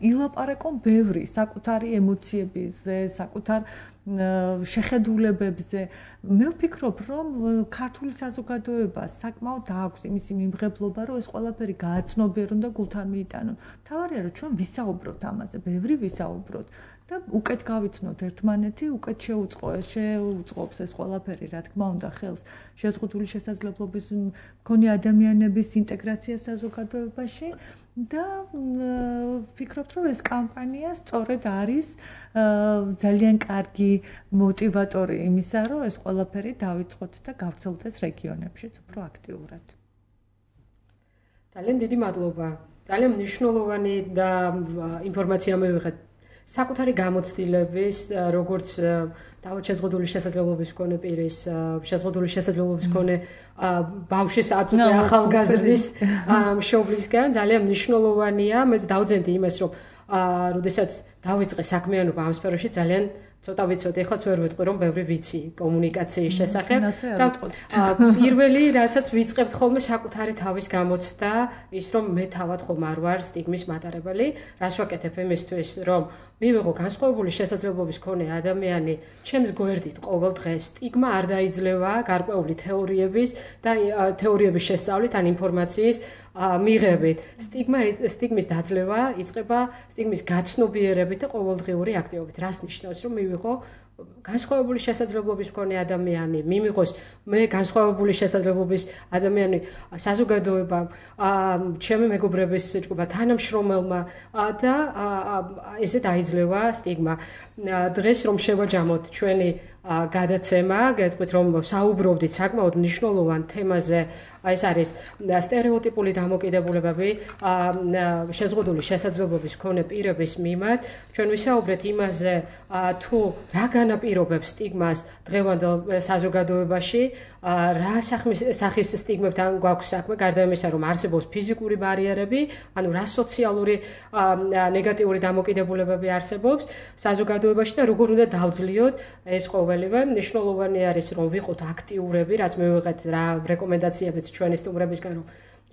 ილაპარაკონ ბევრი საკუთარი ემოციებზე, საკუთარ შეხედულებებზე. მე ვფიქრობ, რომ ქართული საზოგადოება საკმაოდ აქვს იმისი მიმღებლობა, რომ ეს ყველაფერი გააცნობიერონ და გულთან მიიტანონ. მთავარია, რომ ჩვენ ვისაუბროთ ამაზე, ბევრი ვისაუბროთ და უკეთ გავიცნოთ ერთმანეთი, უკეთ შეუწყობს ეს ყველაფერი, რა თქმა უნდა, ხელს შეზღუდული შესაძლებლობის მქონე ადამიანების ინტეგრაცია საზოგადოებაში. და ვფიქრობთ, რომ ეს კამპანია სწორედ არის ძალიან კარგი მოტივატორი იმისა, რომ ეს ყველაფერი დავიწყოთ და გავრცელდეს რეგიონებშიც უფრო აქტიურად. ძალიან დიდი მადლობა. ძალიან მნიშვნელოვანი და ინფორმაცია მივიღეთ საკუთარი გამოცდილების, როგორც შეზღუდული შესაძლებლობის მქონე პირის, შეზღუდული შესაძლებლობის მქონე ბავშვის აწუხე ახალგაზრდის მშობლისგან ძალიან მნიშვნელოვანია. მე დავძენდი იმას, რომ როდესაც დავიწყე საქმიანობა ამ სფეროში ძალიან ცოტა ვიცოდი, ეხლაც ვერ ვიტყვი, რომ ბევრი ვიცი კომუნიკაციის შესახებ და პირველი, რასაც ვიწყებთ ხოლმე საკუთარი თავის გამოცდა, ის რომ მე თავად ხომ არ ვარ სტიგმის მატარებელი, რას ვაკეთებ იმისთვის, რომ მივიღო განსხვავებული შესაძლებლობის მქონე ადამიანი ჩემს გვერდით ყოველ დღეს სტიგმა არ დაიძლევა გარკვეული თეორიების და თეორიების შესწავლით ან ინფორმაციის მიღებით. სტიგმის დაძლევა იწყება სტიგმის გაცნობიერებით და ყოველდღიური აქტივობით. რას ნიშნავს, რომ მივიღო განსხვავებული შესაძლებლობის მქონე ადამიანი, მიმიღოს მე განსხვავებული შესაძლებლობის ადამიანი საზოგადოებამ, ჩემი მეგობრების ჯგუფმა, თანამშრომელმა და ესე დაიძლევა სტიგმა. დღეს რომ შევაჯამოთ ჩვენი გადაცემა, გეტყვით რომ საუბრობდით საკმაოდ მნიშვნელოვან თემაზე, ეს არის სტერეოტიპული დამოკიდებულებები შეზღუდული შესაძლებლობის მქონე პირების მიმართ. ჩვენ ვისაუბრეთ იმაზე, თუ რა განაპირობებს სტიგმას დღევანდელ საზოგადოებაში, რა სახის სტიგმებთან გვაქვს საქმე, გარდა იმისა, რომ არსებობს ფიზიკური ბარიერები, ანუ რა სოციალური ნეგატიური დამოკიდებულებები არსებობს საზოგადოებაში და როგორ უნდა დავძლიოთ ეს ყოველივე. მნიშვნელოვანი არის, რომ ვიყოთ აქტიურები, რაც მივიღეთ რა რეკომენდაციებიც ჩვენი სტუმრებისგან, რომ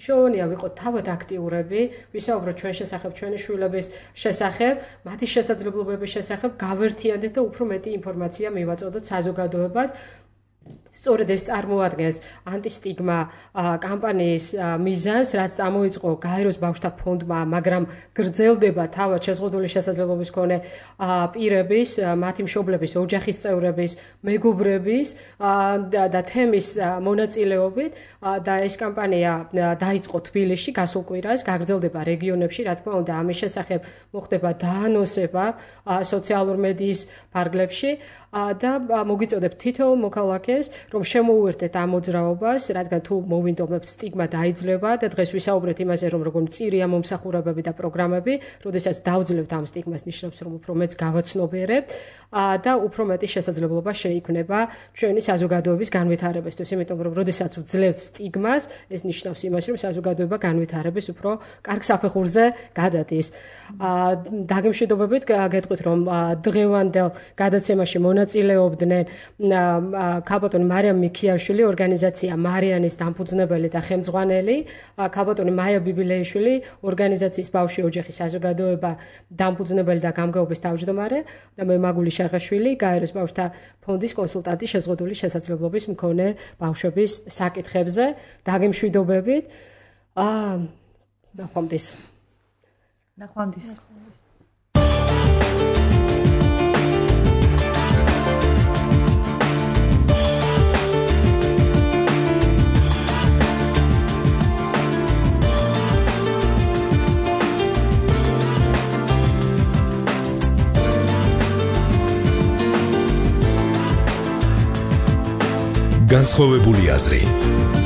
შევონია ვიყოთ თავად აქტიურები, ვისაუბროთ ჩვენ შესახებ, ჩვენი შვილების შესახებ, მათი შესაძლებლობების შესახებ, გავერთიანდეთ და უფრო მეტი ინფორმაცია მივაწოდოთ საზოგადოებას. სწორედ ეს წარმოადგენს ანტისტიგმა კამპანიის მიზანს, რაც წამოიწყო გაეროს ბავშვთა ფონდმა, მაგრამ გრძელდება თავად შეზღუდული შესაძლებლობის მქონე პირების, მათი მშობლების, ოჯახის წევრების, მეგობრების და თემის მონაწილეობით და ეს კამპანია დაიწყო თბილისში გასულ კვირას, გაგრძელდება რეგიონებში, რა თქმა უნდა, ამის შესახებ მოხდება დაანონსება სოციალურ მედიის ფარგლებში და მოგიწოდებთ თითოეულ მოქალაქეს რომ შემოუერთდეთ ამ მოძრაობას, რადგან თუ მოვინდომებთ სტიგმა დაიძლება და დღეს ვისაუბრეთ იმაზე, რომ როგორ მწირია მომსახურებები და პროგრამები, როდესაც დავძლებთ ამ სტიგმას, ნიშნავს, რომ უფრო მეც გავაცნობიერებთ და უფრო მეტი შესაძლებლობა შეიქმნება ჩვენი საზოგადოების განვითარებისთვის, იმიტომ რომ როდესაც ვძლებთ სტიგმას, ეს ნიშნავს იმას, რომ საზოგადოება განვითარების უფრო კარგ საფეხურზე გადადის. დაგემშვიდობებით გეტყვით, რომ დღევანდელ გადაცემაში მონაწილეობდნენ ქალბატონი მარიამ მიქიაშვილი, ორგანიზაცია მარიანის დამფუძნებელი და ხელმძღვანელი, ქალბატონი მაია ბიბილეიშვილი, ორგანიზაციის ბავშვი ოჯახის საზოგადოება დამფუძნებელი და გამგეობის თავმჯდომარე და მე მაგული შაღაშვილი, გაეროს ბავშვთა ფონდის კონსულტანტი შეზღუდული შესაძლებლობის მქონე ბავშვების საკითხებზე. დაგემშვიდობებით. ნახვამდის. განსხვავებული აზრი.